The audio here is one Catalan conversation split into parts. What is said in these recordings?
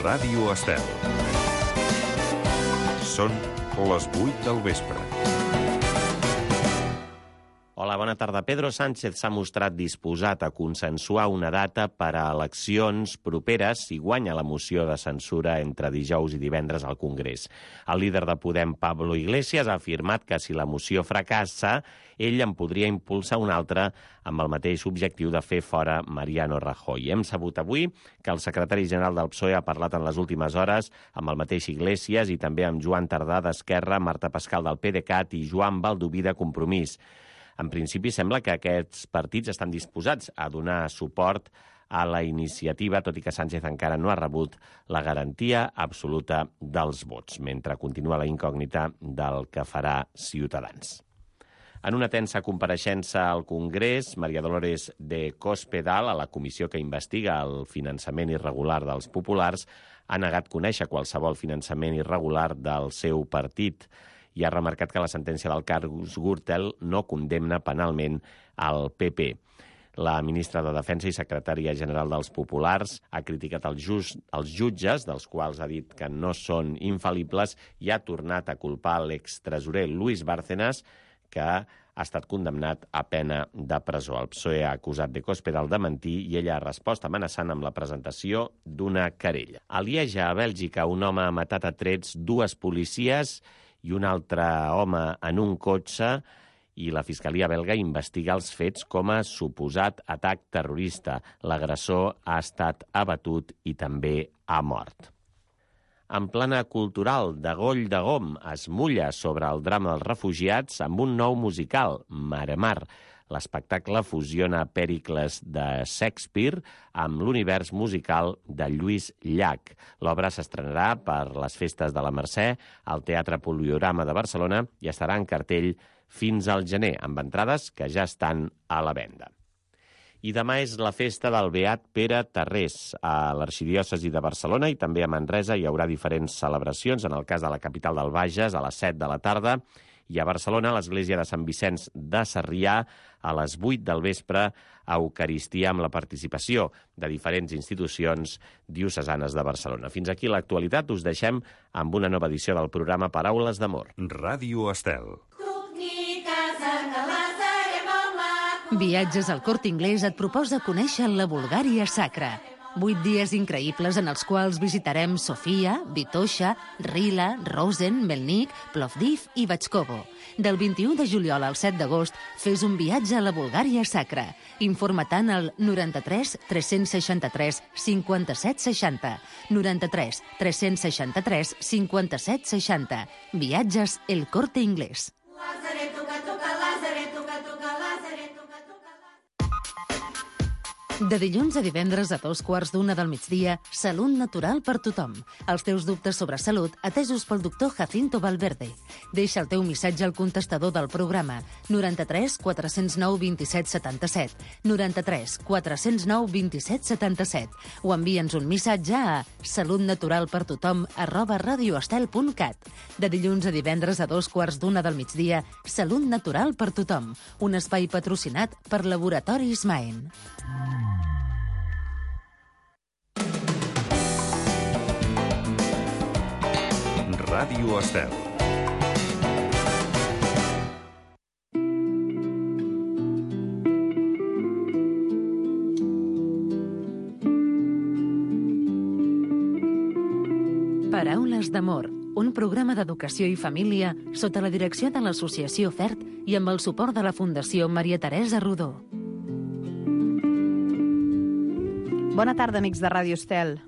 Ràdio Estel. Són les 8 del vespre. Hola, bona tarda. Pedro Sánchez s'ha mostrat disposat a consensuar una data per a eleccions properes si guanya la moció de censura entre dijous i divendres al Congrés. El líder de Podem, Pablo Iglesias, ha afirmat que si la moció fracassa, ell en podria impulsar una altra amb el mateix objectiu de fer fora Mariano Rajoy. Hem sabut avui que el secretari general del PSOE ha parlat en les últimes hores amb el mateix Iglesias i també amb Joan Tardà d'Esquerra, Marta Pascal del PDeCAT i Joan Baldoví de Compromís. En principi, sembla que aquests partits estan disposats a donar suport a la iniciativa, tot i que Sánchez encara no ha rebut la garantia absoluta dels vots, mentre continua la incògnita del que farà Ciutadans. En una tensa compareixença al Congrés, María Dolores de Cospedal, a la comissió que investiga el finançament irregular dels populars, ha negat conèixer qualsevol finançament irregular del seu partit i ha remarcat que la sentència del cas Gürtel no condemna penalment al PP. La ministra de Defensa i secretària general dels Populars ha criticat els jutges, dels quals ha dit que no són infal·libles, i ha tornat a culpar l'extresorer Luis Bárcenas, que ha estat condemnat a pena de presó. El PSOE ha acusat de Cospedal de mentir i ella ha respost amenaçant amb la presentació d'una querella. A Lieja, a Bèlgica, un home ha matat a trets dues policies i un altre home en un cotxe, i la Fiscalia belga investiga els fets com a suposat atac terrorista. L'agressor ha estat abatut i també ha mort. En plana cultural, de Goll de Gom es mulla sobre el drama dels refugiats amb un nou musical, Maremar. L'espectacle fusiona Pèricles de Shakespeare amb l'univers musical de Lluís Llach. L'obra s'estrenarà per les festes de la Mercè al Teatre Poliorama de Barcelona i estarà en cartell fins al gener, amb entrades que ja estan a la venda. I demà és la festa del Beat Pere Tarrés. A l'Arxidiòcesi de Barcelona i també a Manresa hi haurà diferents celebracions. En el cas de la capital del Bages, a les 7 de la tarda, i a Barcelona, a l'església de Sant Vicenç de Sarrià, a les 8 del vespre, a Eucaristia amb la participació de diferents institucions diocesanes de Barcelona. Fins aquí l'actualitat. Us deixem amb una nova edició del programa Paraules d'Amor. Ràdio Estel. Viatges al Corte Inglés et proposa conèixer la Bulgària sacra. 8 dies increïbles en els quals visitarem Sofia, Vitoša, Rila, Rosen, Melnik, Plovdiv i Batxkovo. Del 21 de juliol al 7 d'agost, fes un viatge a la Bulgària sacra. Informa-te'n al 93 363 57 60. 93 363 57 60. Viatges El Corte Inglés. De dilluns a divendres a 2:15 del migdia, Salut Natural per tothom. Els teus dubtes sobre salut atesos pel doctor Jacinto Valverde. Deixa el teu missatge al contestador del programa 93 409 27 77, 93 409 27 77 o envia'ns un missatge a salutnaturalpertothom@radioestel.cat. De dilluns a divendres a 2:15 del migdia, Salut Natural per tothom. Un espai patrocinat per Laboratoris Maen. Ràdio Estel. Paraules d'Amor, un programa d'educació i família sota la direcció de l'Associació FERT i amb el suport de la Fundació Maria Teresa Rodó. Bona tarda, amics de Ràdio Estel.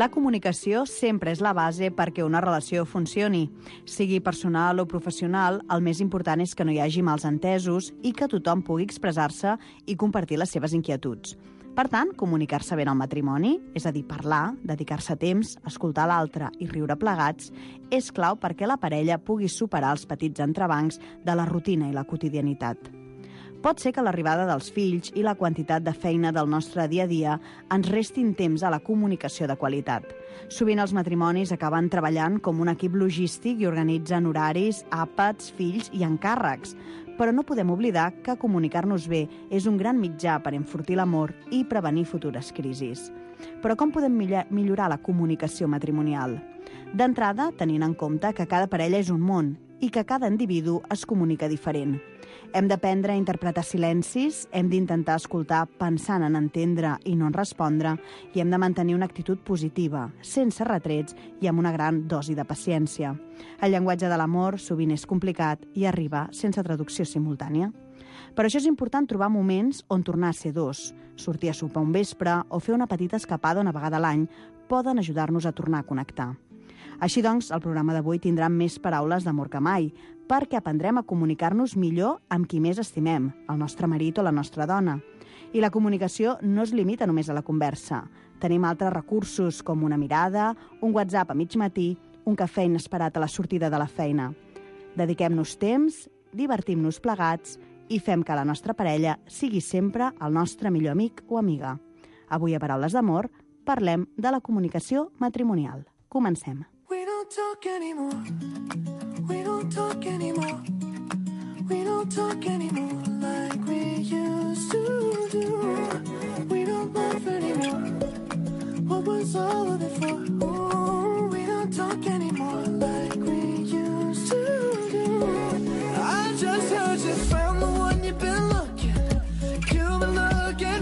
La comunicació sempre és la base perquè una relació funcioni. Sigui personal o professional, el més important és que no hi hagi mals entesos i que tothom pugui expressar-se i compartir les seves inquietuds. Per tant, comunicar-se bé en el matrimoni, és a dir, parlar, dedicar-se temps, escoltar l'altre i riure plegats, és clau perquè la parella pugui superar els petits entrebancs de la rutina i la quotidianitat. Pot ser que l'arribada dels fills i la quantitat de feina del nostre dia a dia ens restin temps a la comunicació de qualitat. Sovint els matrimonis acaben treballant com un equip logístic i organitzen horaris, àpats, fills i encàrrecs. Però no podem oblidar que comunicar-nos bé és un gran mitjà per enfortir l'amor i prevenir futures crisis. Però com podem millorar la comunicació matrimonial? D'entrada, tenint en compte que cada parella és un món i que cada individu es comunica diferent. Hem d'aprendre a interpretar silencis, hem d'intentar escoltar pensant en entendre i no en respondre, i hem de mantenir una actitud positiva, sense retrets i amb una gran dosi de paciència. El llenguatge de l'amor sovint és complicat i arriba sense traducció simultània. Per això és important trobar moments on tornar a ser dos. Sortir a sopar un vespre o fer una petita escapada una vegada a l'any poden ajudar-nos a tornar a connectar. Així doncs, el programa d'avui tindrà més paraules d'amor que mai, perquè aprendrem a comunicar-nos millor amb qui més estimem, el nostre marit o la nostra dona. I la comunicació no es limita només a la conversa. Tenim altres recursos com una mirada, un WhatsApp a mig matí, un cafè inesperat a la sortida de la feina. Dediquem-nos temps, divertim-nos plegats i fem que la nostra parella sigui sempre el nostre millor amic o amiga. Avui a Paraules d'Amor parlem de la comunicació matrimonial. Comencem. We don't talk anymore. We don't talk anymore. We don't talk anymore like we used to do. We don't laugh anymore. What was all of it for? Ooh, we don't talk anymore like we used to do. I just heard you found the one you've been looking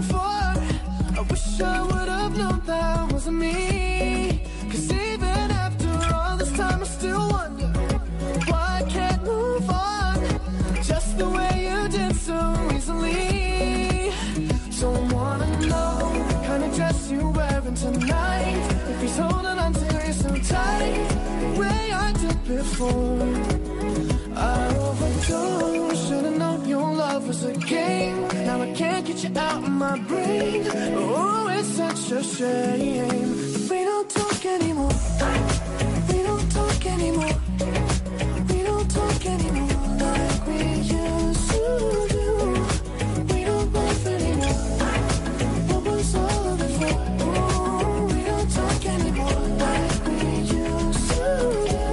for. I wish I would have known that wasn't me. 'Cause even after all this time I still wonder why I can't move on just the way you did so easily. So I wanna know what kind of dress you're wearing tonight, if he's holding on to you so tight the way I did before. I overdosed, should've known your love was a game. Now I can't get you out of my brain. Oh, it's such a shame. We don't talk anymore. We don't talk anymore. We don't talk anymore like we used to do. We don't laugh anymore. What was all of it for? Oh, we don't talk anymore like we used to do.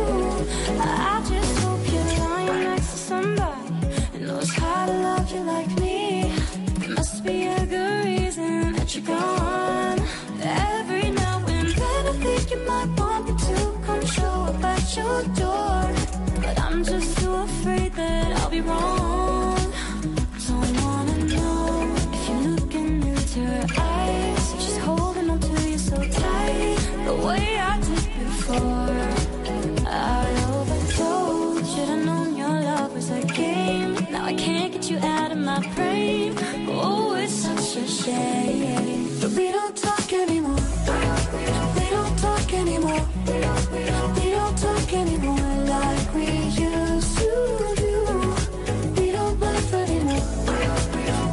I just hope you're lying next to somebody who knows how to love you like me. There must be a good reason that you're gone. Every now and then I think you might want me to come show up at your door, but I'm just too afraid that I'll be wrong. So I wanna know if you're looking into her eyes, she's holding on to you so tight the way I did before. I overdosed, should've known your love was a game. Now I can't get you out of my brain. Oh, it's such a shame that we don't talk anymore. We don't talk anymore. We don't talk anymore like we used to do. We don't laugh anymore.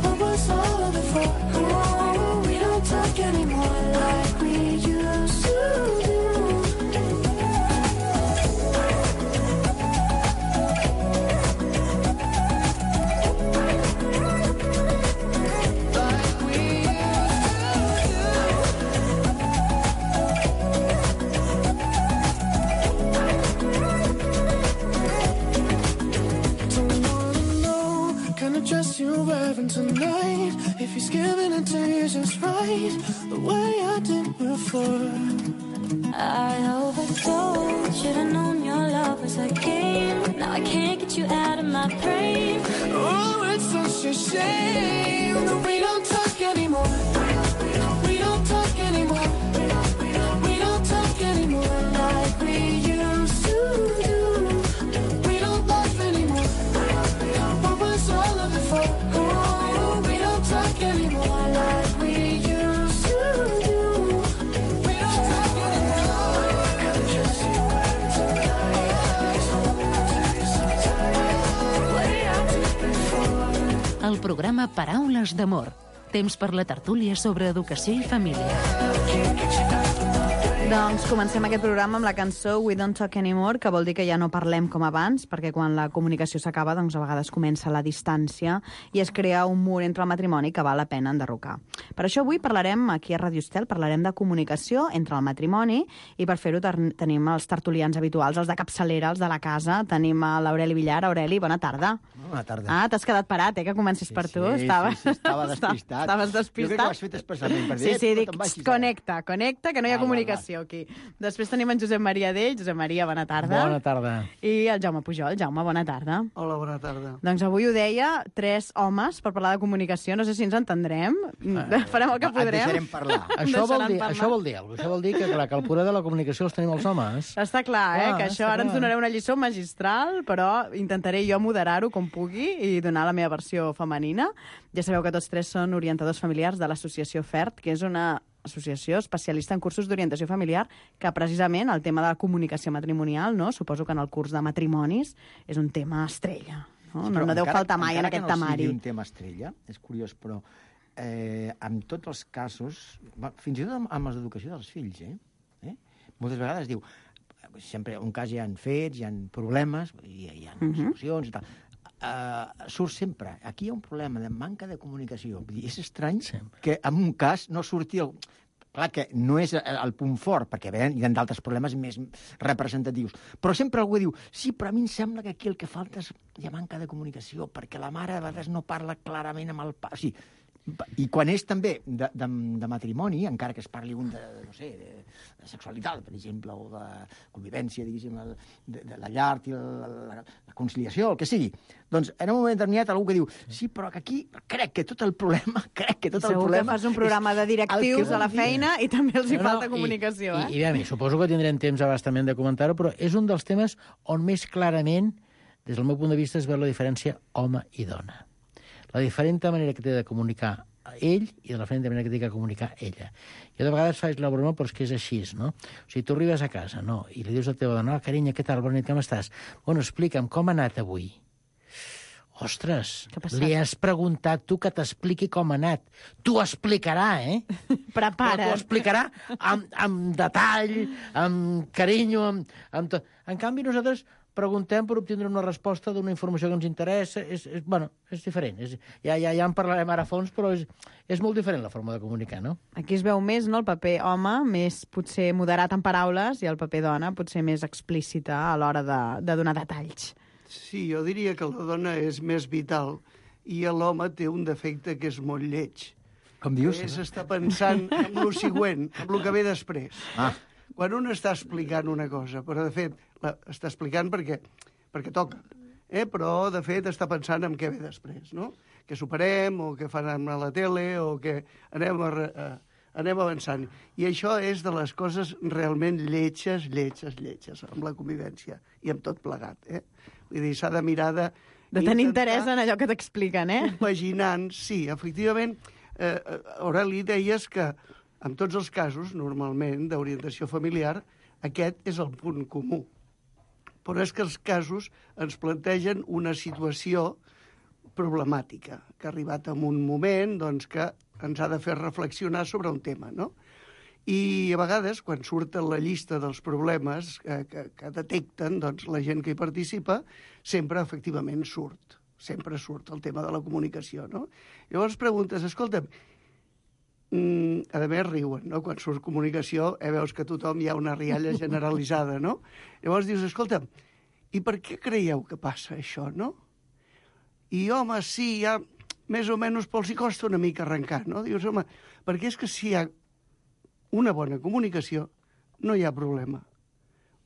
What was all of it for? Oh, we don't talk anymore like we used to do. Dress you're wearing tonight, if he's giving it to you just right the way I did before. I overdosed, should've known your love was a game. Now I can't get you out of my brain. Oh, it's such a shame that we don't talk anymore. We don't talk anymore. We don't talk anymore like we used to do. We don't laugh anymore. What was all of it for? Oh, we don't talk anymore like we used to do. We don't talk anymore. El programa Paraules d'Amor. Temps per la tertúlia sobre educació i família. Doncs comencem aquest programa amb la cançó We Don't Talk Anymore, que vol dir que ja no parlem com abans, perquè quan la comunicació s'acaba, doncs a vegades comença la distància i es crea un mur entre el matrimoni que val la pena enderrocar. Per això avui parlarem, aquí a Radio Estel, parlarem de comunicació entre el matrimoni, i per fer-ho tenim els tertulians habituals, els de capçalera, els de la casa. Tenim a l'Aureli Villar. Aureli, bona tarda. Bona tarda. Ah, t'has quedat parat, que comencis per tu. Sí, estava despistat. Estaves despistat. Jo crec que ho has fet especialment per dir. Sí, dic, connecta, que no hi ha comunicació aquí. Després tenim en Josep Maria Dell. Josep Maria, bona tarda. Bona tarda. I el Jaume Pujol. Jaume, bona tarda. Hola, bona tarda. Doncs avui ho deia, 3 homes per parlar de comunicació. No sé si ens entendrem. Farem el que podrem. Et deixarem parlar. Això vol dir alguna cosa. Això vol dir que, clar, que el poder de la comunicació els tenim els homes. Està clar, que això ara ens donareu una lliçó magistral, però intentaré jo moderar-ho com pugui i donar la meva versió femenina. Ja sabeu que tots 3 són orientadors familiars de l'associació FERT, que és una associació especialista en cursos d'orientació familiar, que precisament el tema de la comunicació matrimonial, no? Suposo que en el curs de matrimonis és un tema estrella. No, Sí, no deu faltar mai en aquest temari. Encara que no sigui un tema estrella, és curiós, però en tots els casos, fins i tot amb els d'educació dels fills, moltes vegades diu, sempre un cas hi ha fets, hi ha problemes, hi ha solucions i tal. Surt sempre. Aquí hi ha un problema de manca de comunicació. Vull dir, és estrany que en un cas no surti el... Clar que no és el punt fort, perquè hi ha d'altres problemes més representatius. Però sempre algú diu, sí, però a mi em sembla que aquí el que falta és hi ha manca de comunicació, perquè la mare a vegades no parla clarament amb el pare. O sigui, i quan és també de matrimoni, encara que es parli de sexualitat, per exemple, o de convivència, diguéssim, de la llar i la conciliació, el que sigui, doncs en un moment determinat algú que diu, sí, però que aquí crec que tot el problema... Segur que fas un programa de directius a la feina i també els hi falta comunicació, I a mi, suposo que tindrem temps abastament de comentar-ho, però és un dels temes on més clarament, des del meu punt de vista, es veu la diferència home i dona. La diferent manera que té de comunicar ell i de la diferent manera que té de comunicar ella. Jo de vegades faig la broma, però és que és així, no? O sigui, tu arribes a casa, no?, i li dius a la teva dona, carinyo, què tal, bona nit, com estàs? Bueno, explica'm, com ha anat avui? Ostres, li has preguntat tu que t'expliqui com ha anat. T'ho explicarà, Prepara't. Però t'ho explicarà amb detall, amb carinyo, amb tot. En canvi, nosaltres preguntem per obtindre una resposta d'una informació que ens interessa. És diferent. Ja en parlarem ara a fons, però és molt diferent la forma de comunicar, no? Aquí es veu més, no?, el paper home, més potser moderat en paraules, i el paper dona potser més explícita a l'hora de donar detalls. Sí, jo diria que la dona és més vital i l'home té un defecte que és molt lleig. Com dius? S'està pensant en el següent, en el que ve després. Quan un està explicant una cosa, però de fet està explicant perquè toca, però de fet està pensant en què ve després, no? Que superem, o que fan a la tele, o que anem avançant. I això és de les coses realment lletges amb la convivència i amb tot plegat, Vull dir, s'ha de mirar de tenir interès en allò que t'expliquen, Compaginant, sí, efectivament. Aureli, deies que en tots els casos, normalment, d'orientació familiar, aquest és el punt comú. Però és que els casos ens plantegen una situació problemàtica, que ha arribat en un moment doncs, que ens ha de fer reflexionar sobre un tema, no? I a vegades, quan surt la llista dels problemes que detecten doncs, la gent que hi participa, sempre, efectivament, sempre surt el tema de la comunicació, no? Llavors preguntes, escolta'm, a més riuen, no? Quan surt comunicació, veus que tothom hi ha una rialla generalitzada, no? Llavors dius, escolta'm, i per què creieu que passa això, no? I, home, sí, ja més o menys els hi costa una mica arrencar, no? Dius, home, perquè és que si hi ha una bona comunicació, no hi ha problema.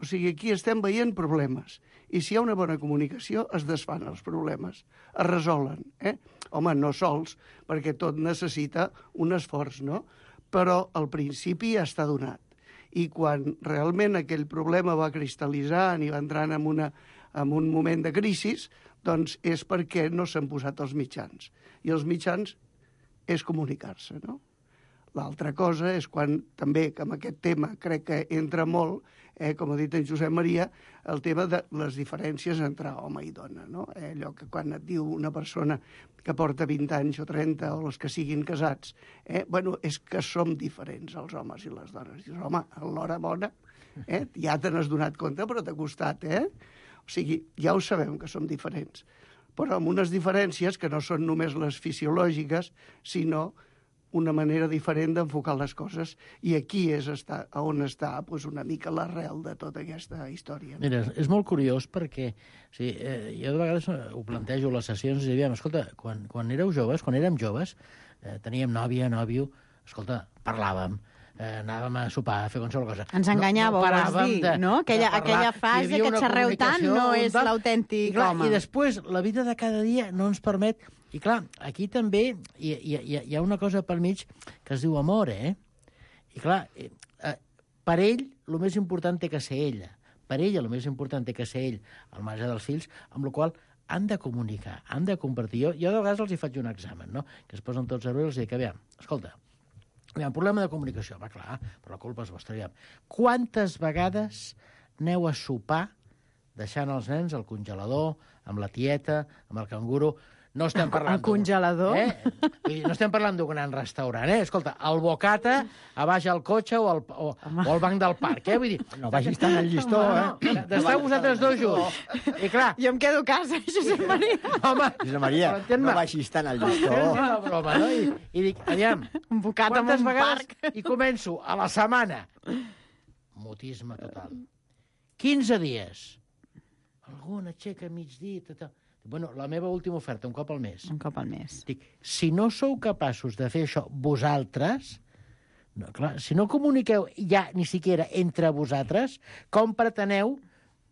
O sigui, aquí estem veient problemes. I si hi ha una bona comunicació, es desfan els problemes, es resolen. Home, no sols, perquè tot necessita un esforç, no? Però al principi ja està donat. I quan realment aquell problema va cristal·litzant i va entrant en un moment de crisi, doncs és perquè no s'han posat els mitjans. I els mitjans és comunicar-se, no? L'altra cosa és quan també, que amb aquest tema crec que entra molt, com ha dit en Josep Maria, el tema de les diferències entre home i dona, no? Allò que quan et diu una persona que porta 20 anys o 30 o els que siguin casats, bueno, és que som diferents els homes i les dones. Dius, home, a l'hora bona, ja te n'has donat compte, però t'ha costat, O sigui, ja ho sabem que som diferents, però amb unes diferències que no són només les fisiològiques, sinó una manera diferent d'enfocar les coses, i aquí és on està doncs, una mica l'arrel de tota aquesta història. Mira, és molt curiós perquè jo de vegades ho plantejo a les sessions i diem, escolta, quan érem joves, teníem nòvia, nòvio, escolta, parlàvem, anàvem a sopar, a fer qualsevol cosa. Ens enganyàveu, vols dir, no? Aquella frase que xerreu tant no és l'autèntic home. I després, la vida de cada dia no ens permet... I clar, aquí també hi ha una cosa pel mig que es diu amor, I clar, per ell, el més important té que ser ella. Per ella, el més important té que ser ell, al marge dels fills, amb la qual han de comunicar, han de compartir. Jo de vegades els hi faig un examen, no? Que es posen tots a veure i els dic, aviam, escolta, problema de comunicació, va clar, però la culpa és vostra, aviam. Quantes vegades aneu a sopar deixant els nens al congelador, amb la tieta, amb el canguro... No estem parlant... El congelador? No estem parlant d'un gran restaurant, Escolta, el bocata a baix al cotxe o al banc del parc, Vull dir... No vagis tant al llistó, D'estar vosaltres dos junts. I clar... Jo em quedo a casa, Josep Maria. Home, Josep Maria, no vagis tant al llistó. Una broma, no? I dic, aviam, un bocata en un parc. I començo a la setmana. Mutisme total. 15 dies. Alguna aixeca a migdia, Bueno, la meva última oferta, un cop al mes. Un cop al mes. Dic, si no sou capaços de fer això vosaltres, no, clar, si no comuniqueu ja ni siquiera entre vosaltres, com preteneu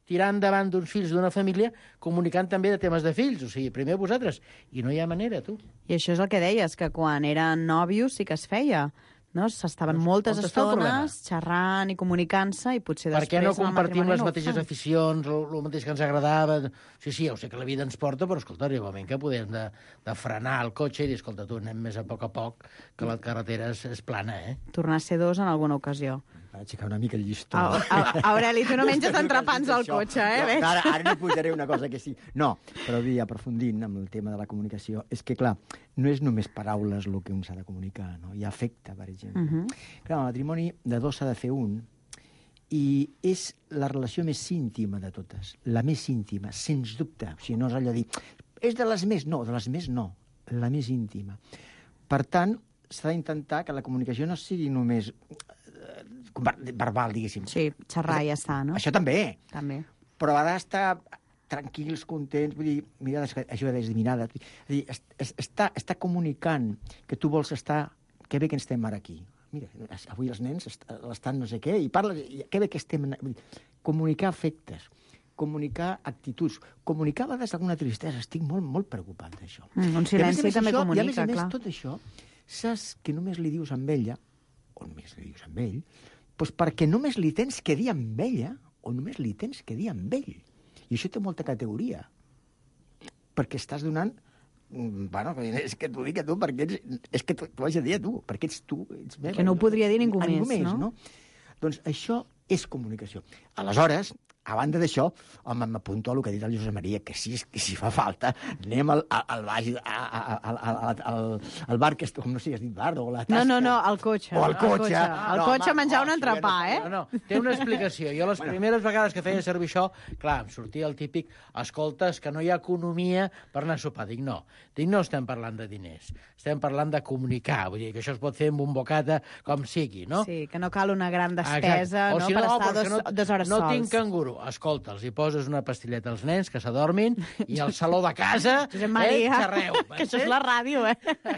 tirar endavant d'uns fills d'una família comunicant també de temes de fills? O sigui, primer vosaltres. I no hi ha manera, tu. I això és el que deies, que quan eren nòvios sí que es feia. No? S'estaven moltes estones xerrant i comunicant-se i potser després... Per què no compartim les mateixes aficions, el mateix que ens agradava? Sí, ja ho sé que la vida ens porta, però escolta, arriba un moment que podem de frenar el cotxe i dir, escolta, tu anem més a poc, que la carretera és plana, Tornar a ser dos en alguna ocasió. Per aixecar una mica el llistó. Aureli, tu no menges entrepans al cotxe, veig? Ara no posaré una cosa que sí. No, però aprofundint amb el tema de la comunicació, és que, clar, no és només paraules el que un s'ha de comunicar, no? Hi ha afecte, per exemple. Clar, el matrimoni de dos s'ha de fer un, i és la relació més íntima de totes, la més íntima, sens dubte. O sigui, no és allò de dir, és de les més, no, de les més no, la més íntima. Per tant, s'ha d'intentar que la comunicació no sigui només verbal, diguéssim. Sí, xerrar i ja està, no? Això també. També. Però ha d'estar tranquils, contents, vull dir, mira, això de desdivinada. És dir, està comunicant que tu vols estar... Que bé que estem ara aquí. Mira, avui els nens estan no sé què, i parles... Que bé que estem... Comunicar afectes, comunicar actituds, comunicar a vegades alguna tristesa. Estic molt, molt preocupat d'això. Un silenci també comunica, clar. I a més, clar. tot això, saps que només li dius amb ella, o només li dius amb ell, doncs perquè només li tens que dir amb ella, o només li tens que dir amb ell. I això té molta categoria. Perquè estàs donant... Bueno, és que t'ho dic a tu, perquè és que t'ho haig de dir a tu, perquè ets tu. Ets meva, que no ho podria dir ningú més, no? Doncs això és comunicació. Aleshores, a banda d'això, home, m'apunto a el que ha dit el Josep Maria, que si fa falta, anem al bar, que com no sé, has dit bar, o la tasca... No, al cotxe. O al cotxe. Al cotxe a menjar un entrepà, No, té una explicació. Jo les primeres vegades que feia servir això, clar, em sortia el típic, escolta, és que no hi ha economia per anar a sopar. Dic, no estem parlant de diners, estem parlant de comunicar, vull dir que això es pot fer amb un bocata com sigui, no? Sí, que no cal una gran despesa, no, per estar 2 hores sols. No tinc canguro. Escolta, els hi poses una pastilleta als nens que s'adormin i al saló de casa xerreu. Que això és la ràdio,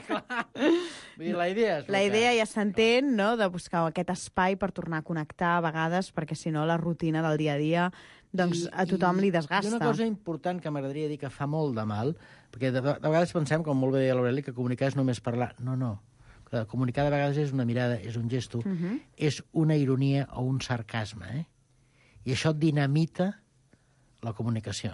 Clar. Vull dir, la idea és... La idea ja s'entén, no?, de buscar aquest espai per tornar a connectar a vegades, perquè si no la rutina del dia a dia doncs a tothom li desgasta. I una cosa important que m'agradaria dir que fa molt de mal, perquè de vegades pensem, com molt bé deia l'Aureli, que comunicar és només parlar. No. Comunicar de vegades és una mirada, és un gesto, és una ironia o un sarcasme, I això dinamita la comunicació,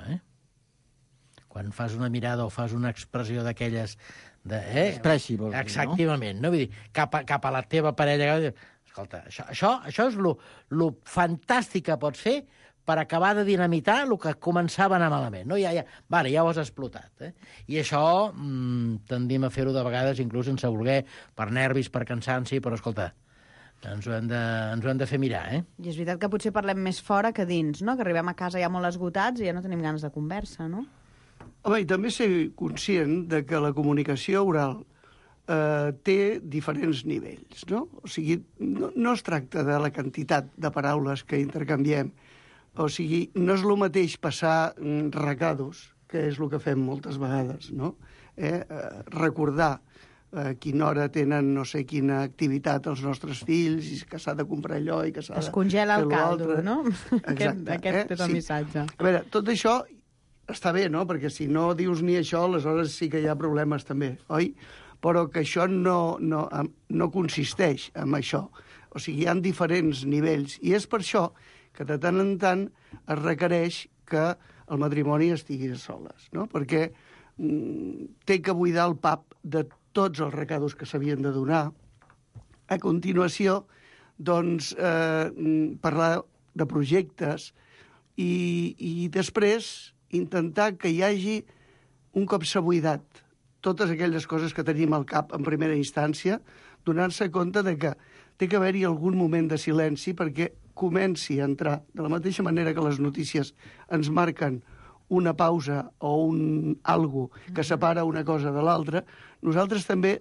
quan fas una mirada o fas una expressió d'aquelles... Expressi, vols dir, no? Exactament, no? Vull dir, cap a la teva parella... Escolta, això és lo fantàstic que pots fer per acabar de dinamitar el que començava a anar malament. No? Ja ho has explotat. I això tendim a fer-ho de vegades, inclús sense voler, per nervis, per cansanci, però escolta, ens ho hem de fer mirar, I és veritat que potser parlem més fora que dins, no? Que arribem a casa ja molt esgotats i ja no tenim ganes de conversa, no? Home, i també ser conscient de que la comunicació oral té diferents nivells, no? O sigui, no es tracta de la quantitat de paraules que intercanviem. O sigui, no és el mateix passar recados, que és el que fem moltes vegades, no? Recordar a quina hora tenen no sé quina activitat els nostres fills, i que s'ha de comprar allò i que s'ha de... Es congela el caldo, l'altre. no? Exacte. Aquest és el missatge. A veure, tot això està bé, no? Perquè si no dius ni això, aleshores sí que hi ha problemes també, oi? Però que això no consisteix en això. O sigui, hi ha diferents nivells. I és per això que de tant en tant es requereix que el matrimoni estigui a soles, no? Perquè té que buidar el pap de tots els recados que s'havien de donar. A continuació, doncs, parlar de projectes i després intentar que hi hagi, un cop s'ha buidat totes aquelles coses que tenim al cap en primera instància, donar-se compte de que té que haver-hi algun moment de silenci perquè comenci a entrar, de la mateixa manera que les notícies ens marquen una pausa o algo que separa una cosa de l'altra, nosaltres també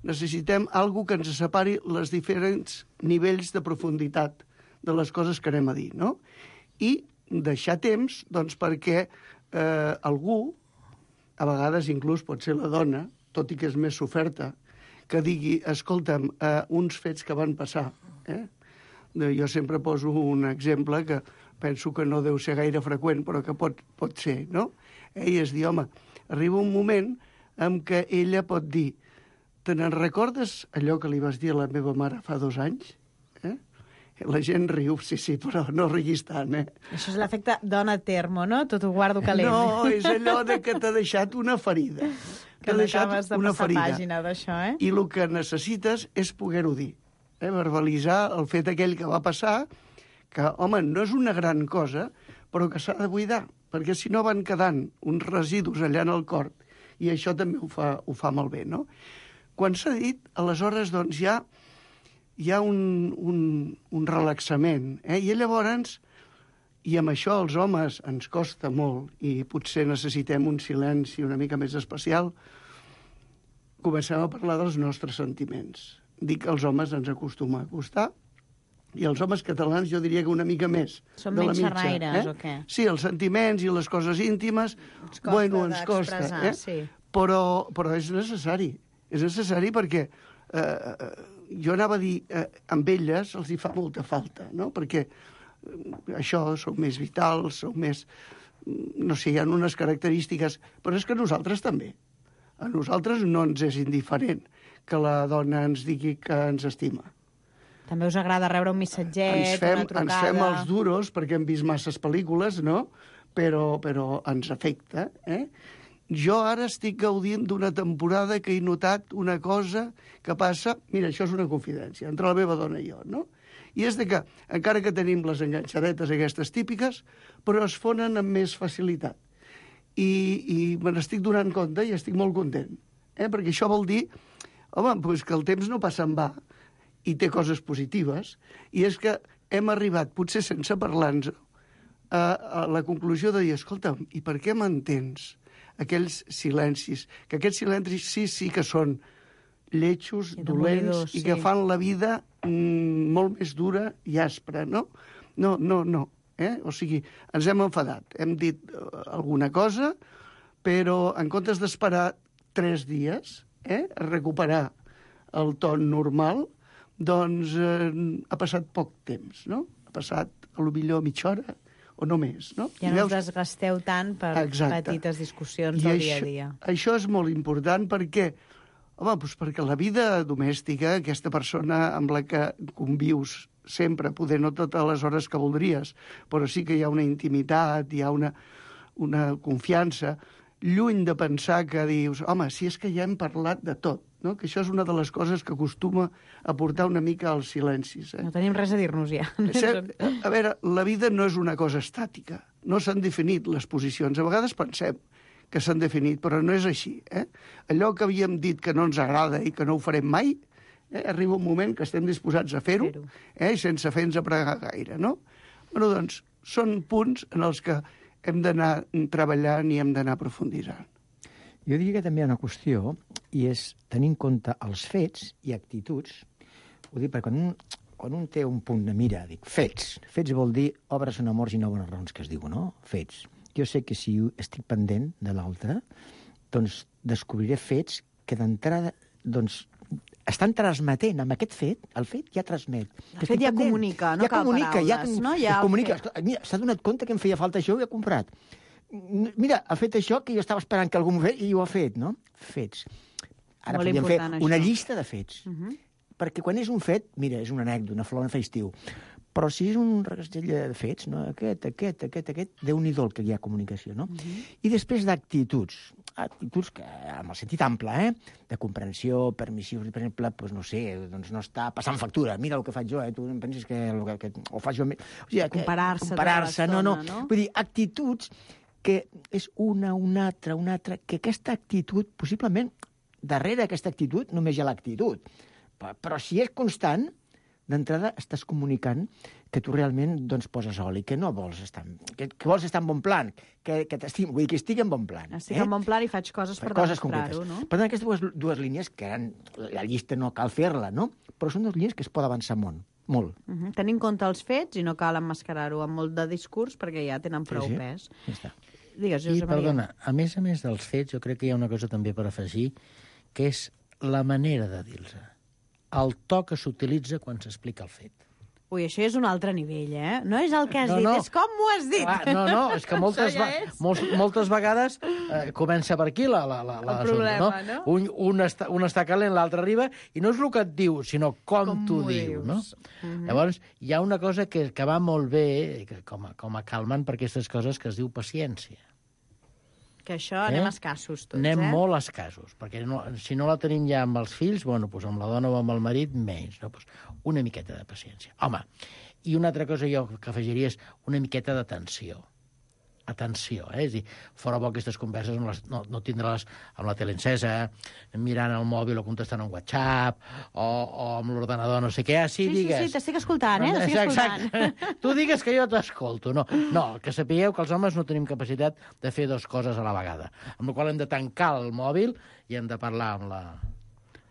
necessitem algo que ens separi els diferents nivells de profunditat de les coses que anem a dir, no? I deixar temps, doncs, perquè algú, a vegades inclús pot ser la dona, tot i que és més soferta, que digui, escolta'm, uns fets que van passar, Jo sempre poso un exemple que penso que no deu ser gaire freqüent, però que pot ser, no? I és dir, home, arriba un moment en què ella pot dir, te n'en recordes allò que li vas dir a la meva mare fa 2 anys? La gent riu, sí, però no riguis tant, Això és l'efecte dona termo, no? Tot ho guardo calent. No, és allò de que t'ha deixat una ferida. Que no acabes de passar pàgina d'això, I el que necessites és poder-ho dir. Verbalitzar el fet aquell que va passar, que, home, no és una gran cosa, però que s'ha de buidar, perquè si no van quedant uns residus allà en el cor, i això també ho fa molt bé, no? Quan s'ha dit, aleshores, doncs, hi ha un relaxament, I llavors, i amb això els homes ens costa molt, i potser necessitem un silenci una mica més especial, comencem a parlar dels nostres sentiments. Dic que els homes ens acostuma a costar, i els homes catalans jo diria que una mica més. Són menys xerraires, o què? Sí, els sentiments i les coses íntimes, ens costa. Sí. Però és necessari. És necessari perquè jo anava a dir, amb elles els hi fa molta falta, no? Perquè això, sou més vitals, sou més... No sé, hi ha unes característiques, però és que nosaltres també. A nosaltres no ens és indiferent que la dona ens digui que ens estima. També us agrada rebre un missatget, una trucada... Ens fem els duros perquè hem vist masses pel·lícules, no? Però ens afecta, Jo ara estic gaudint d'una temporada que he notat una cosa que passa... Mira, això és una confidència entre la meva dona i jo, no? I és de que, encara que tenim les enganxadetes aquestes típiques, però es fonen amb més facilitat. I me n'estic donant compte i estic molt content. Perquè això vol dir, home, doncs que el temps no passa en va i té coses positives, i és que hem arribat, potser sense parlar-nos, a la conclusió de dir, escolta'm, i per què m'entens aquells silencis? Que aquests silencis sí que són lletjos, dolents, i que fan la vida molt més dura i aspra, no? No. O sigui, ens hem enfadat, hem dit alguna cosa, però en comptes d'esperar 3 dies a recuperar el ton normal, doncs ha passat poc temps, no? Ha passat, potser mitja hora o no més, no? Ja no us desgasteu tant per petites discussions del dia a dia. Això és molt important perquè, perquè la vida domèstica, aquesta persona amb la que convius sempre, poder no totes les hores que voldries, però sí que hi ha una intimitat, hi ha una confiança, lluny de pensar que dius, home, si és que ja hem parlat de tot, no? Que això és una de les coses que acostuma a portar una mica als silencis. No tenim res a dir-nos ja. A veure, la vida no és una cosa estàtica. No s'han definit les posicions. A vegades pensem que s'han definit, però no és així. Allò que havíem dit que no ens agrada i que no ho farem mai, arriba un moment que estem disposats a fer-ho, i sense fer-nos apregar gaire, no? Bueno, doncs, són punts en els que hem d'anar treballant i hem d'anar aprofunditzant. Jo diria que també hi ha una qüestió, i és tenir en compte els fets i actituds. Ho dic perquè quan un té un punt de mira, dic, fets. Fets vol dir obres són amors i no bones raons, que es diu, no? Fets. Jo sé que si estic pendent de l'altre, doncs descobriré fets que d'entrada, doncs, estan transmetent amb aquest fet, el fet ja transmet. El fet ja comunica, no cal paraules, no? Ja comunica. Mira, s'ha donat compte que em feia falta això i ho he comprat. Mira, ha fet això que jo estava esperant que algú m'ho fes i ho ha fet, no? Fets. Ara podríem fer una llista de fets. Perquè quan és un fet, mira, és una anècdota, una flor, un festiu. Però si és un regastell de fets, no? Aquest, Déu-n'hi-do el que hi ha comunicació, no? I després d'actituds. Actituds que, amb el sentit ample, de comprensió, permissiu, per exemple, doncs no sé, doncs no està passant factura. Mira el que faig jo, tu em penses que ho faig jo... O sigui, comparar-se, no. Vull dir, actituds que és una altra, que aquesta actitud, possiblement, darrere aquesta actitud només hi ha l'actitud. Però si és constant, d'entrada estàs comunicant que tu realment doncs, poses oli, que no vols estar... Que vols estar en bon plan, que t'estimo, vull dir que estigui en bon plan. Estic en bon plan i faig coses per demostrar-ho, no? Per tant, aquestes dues línies, que eren... La llista no cal fer-la, no? Però són dues línies que es pot avançar molt. Tenir en compte els fets i no cal emmascarar-ho amb molt de discurs perquè ja tenen prou pes. Ja està. Digues, Josep Maria. Perdona, a més dels fets, jo crec que hi ha una cosa també per afegir, que és la manera de dir-los. El to que s'utilitza quan s'explica el fet. Ui, això és un altre nivell, No és el que has dit, és com m'ho has dit. No, és que moltes vegades comença per aquí el problema, no? Un està calent, l'altre arriba, i no és el que et diu, sinó com t'ho diu, no? Llavors, hi ha una cosa que va molt bé, com a calmant per aquestes coses, que es diu paciència. Que això anem escassos tots, Anem molt escassos, perquè si no la tenim ja amb els fills, bueno, doncs amb la dona o amb el marit, menys, no? Doncs una miqueta de paciència. Home, i una altra cosa jo que afegiria és una miqueta d'atenció. Atenció, És a dir, fora bo aquestes converses no tindre-les amb la tele encesa, mirant el mòbil o contestant un WhatsApp, o amb l'ordenador, no sé què. Sí, t'estic escoltant, t'estic escoltant. Exacte. Tu digues que jo t'escolto. No, que sapigueu que els homes no tenim capacitat de fer dues coses a la vegada. Amb la qual hem de tancar el mòbil i hem de parlar amb la...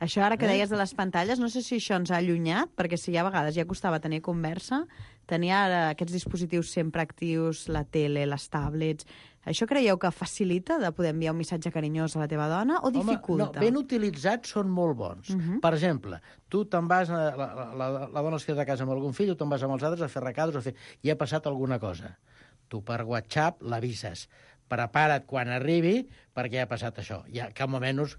Això ara que deies de les pantalles, no sé si això ens ha allunyat, perquè si a vegades ja costava tenir conversa, tenir ara aquests dispositius sempre actius, la tele, les tablets... Això creieu que facilita de poder enviar un missatge carinyós a la teva dona o dificulta? No, ben utilitzats són molt bons. Per exemple, tu te'n vas, la dona es queda a casa amb algun fill, o te'n vas amb els altres a fer recadros, i ha passat alguna cosa. Tu per WhatsApp l'avises. Prepara't quan arribi perquè ha passat això. Ja, que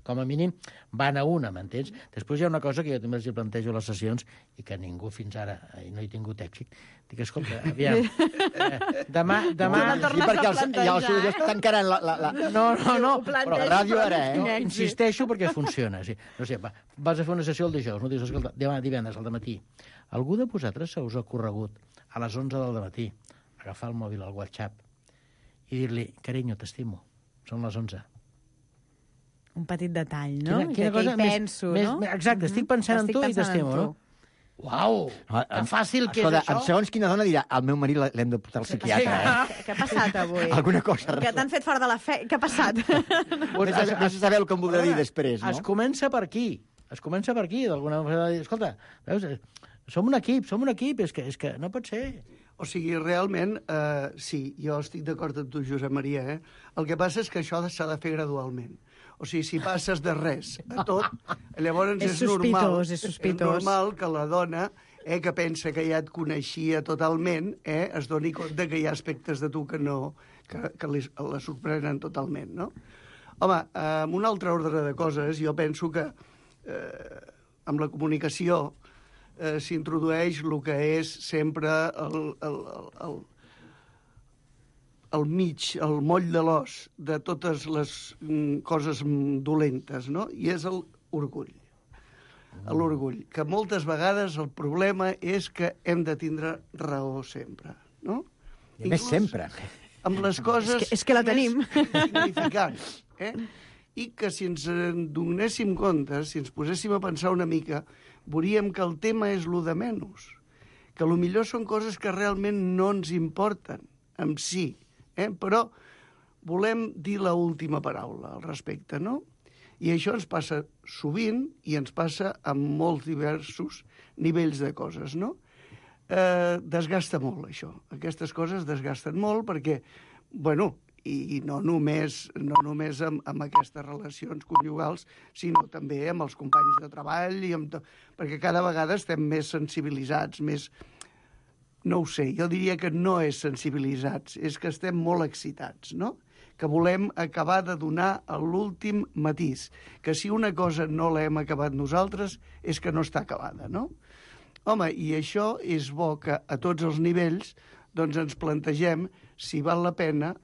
com a mínim, van a una, m'entens? Després hi ha una cosa que jo també els plantejo a les sessions i que ningú fins ara no he tingut èxit. Dic, escolta, aviam, demà... Sí, perquè els seus estan encarant la... No, però la ràdio ara, Insisteixo perquè funciona. Sí. No sé, vas a fer una sessió el dijous, no dius, escolta, demà divendres al dematí. Algú de vosaltres se us ha ocorregut a les 11 del dematí agafar el mòbil al WhatsApp i dir-li, carinyo, t'estimo, són les 11. Un petit detall, no? Quina cosa penso, no? Exacte, estic pensant en tu i t'estimo, no? Uau, que fàcil que és això. Segons quina dona dirà, al meu marit l'hem de portar al psiquiatre. Què ha passat avui? Alguna cosa. Que t'han fet fort de la fe... Què ha passat? No se saber el que em voldrà dir després, no? Es comença per aquí, d'alguna manera. Escolta, veus, som un equip, és que no pot ser... O sigui, realment, sí, jo estic d'acord amb tu, Josep Maria, El que passa és que això s'ha de fer gradualment. O sigui, si passes de res a tot, llavors és normal que la dona, que pensa que ja et coneixia totalment, es doni compte que hi ha aspectes de tu que no, que la sorprenen totalment, no? Home, amb un altre ordre de coses, jo penso que amb la comunicació s'introdueix el que és sempre al mig, el moll de l'os de totes les coses dolentes, no? I és l'orgull. L'orgull, que moltes vegades el problema és que hem de tindre raó sempre, no? I a més sempre. Amb les coses És que la tenim. significants, I que si ens en donéssim compte, si ens poséssim a pensar una mica, veuríem que el tema és lo de menys, que lo millor són coses que realment no ens importen en si, però volem dir l'última paraula al respecte, no? I això ens passa sovint i ens passa amb molts diversos nivells de coses, no? Desgasta molt, això. Aquestes coses desgasten molt perquè, bueno, i no només amb aquestes relacions conjugals, sinó també amb els companys de treball, perquè cada vegada estem més sensibilitzats, més... No ho sé, jo diria que no és sensibilitzats, és que estem molt excitats, no? Que volem acabar de donar l'últim matís, que si una cosa no l'hem acabat nosaltres és que no està acabada, no? Home, i això és bo que a tots els nivells doncs ens plantegem si val la pena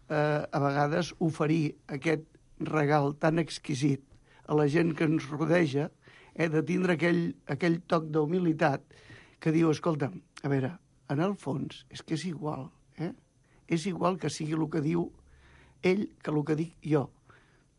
a vegades oferir aquest regal tan exquisit a la gent que ens rodeja, de tindre aquell toc d'humilitat que diu, escolta'm, a veure, en el fons és que és igual, és igual que sigui el que diu ell que el que dic jo.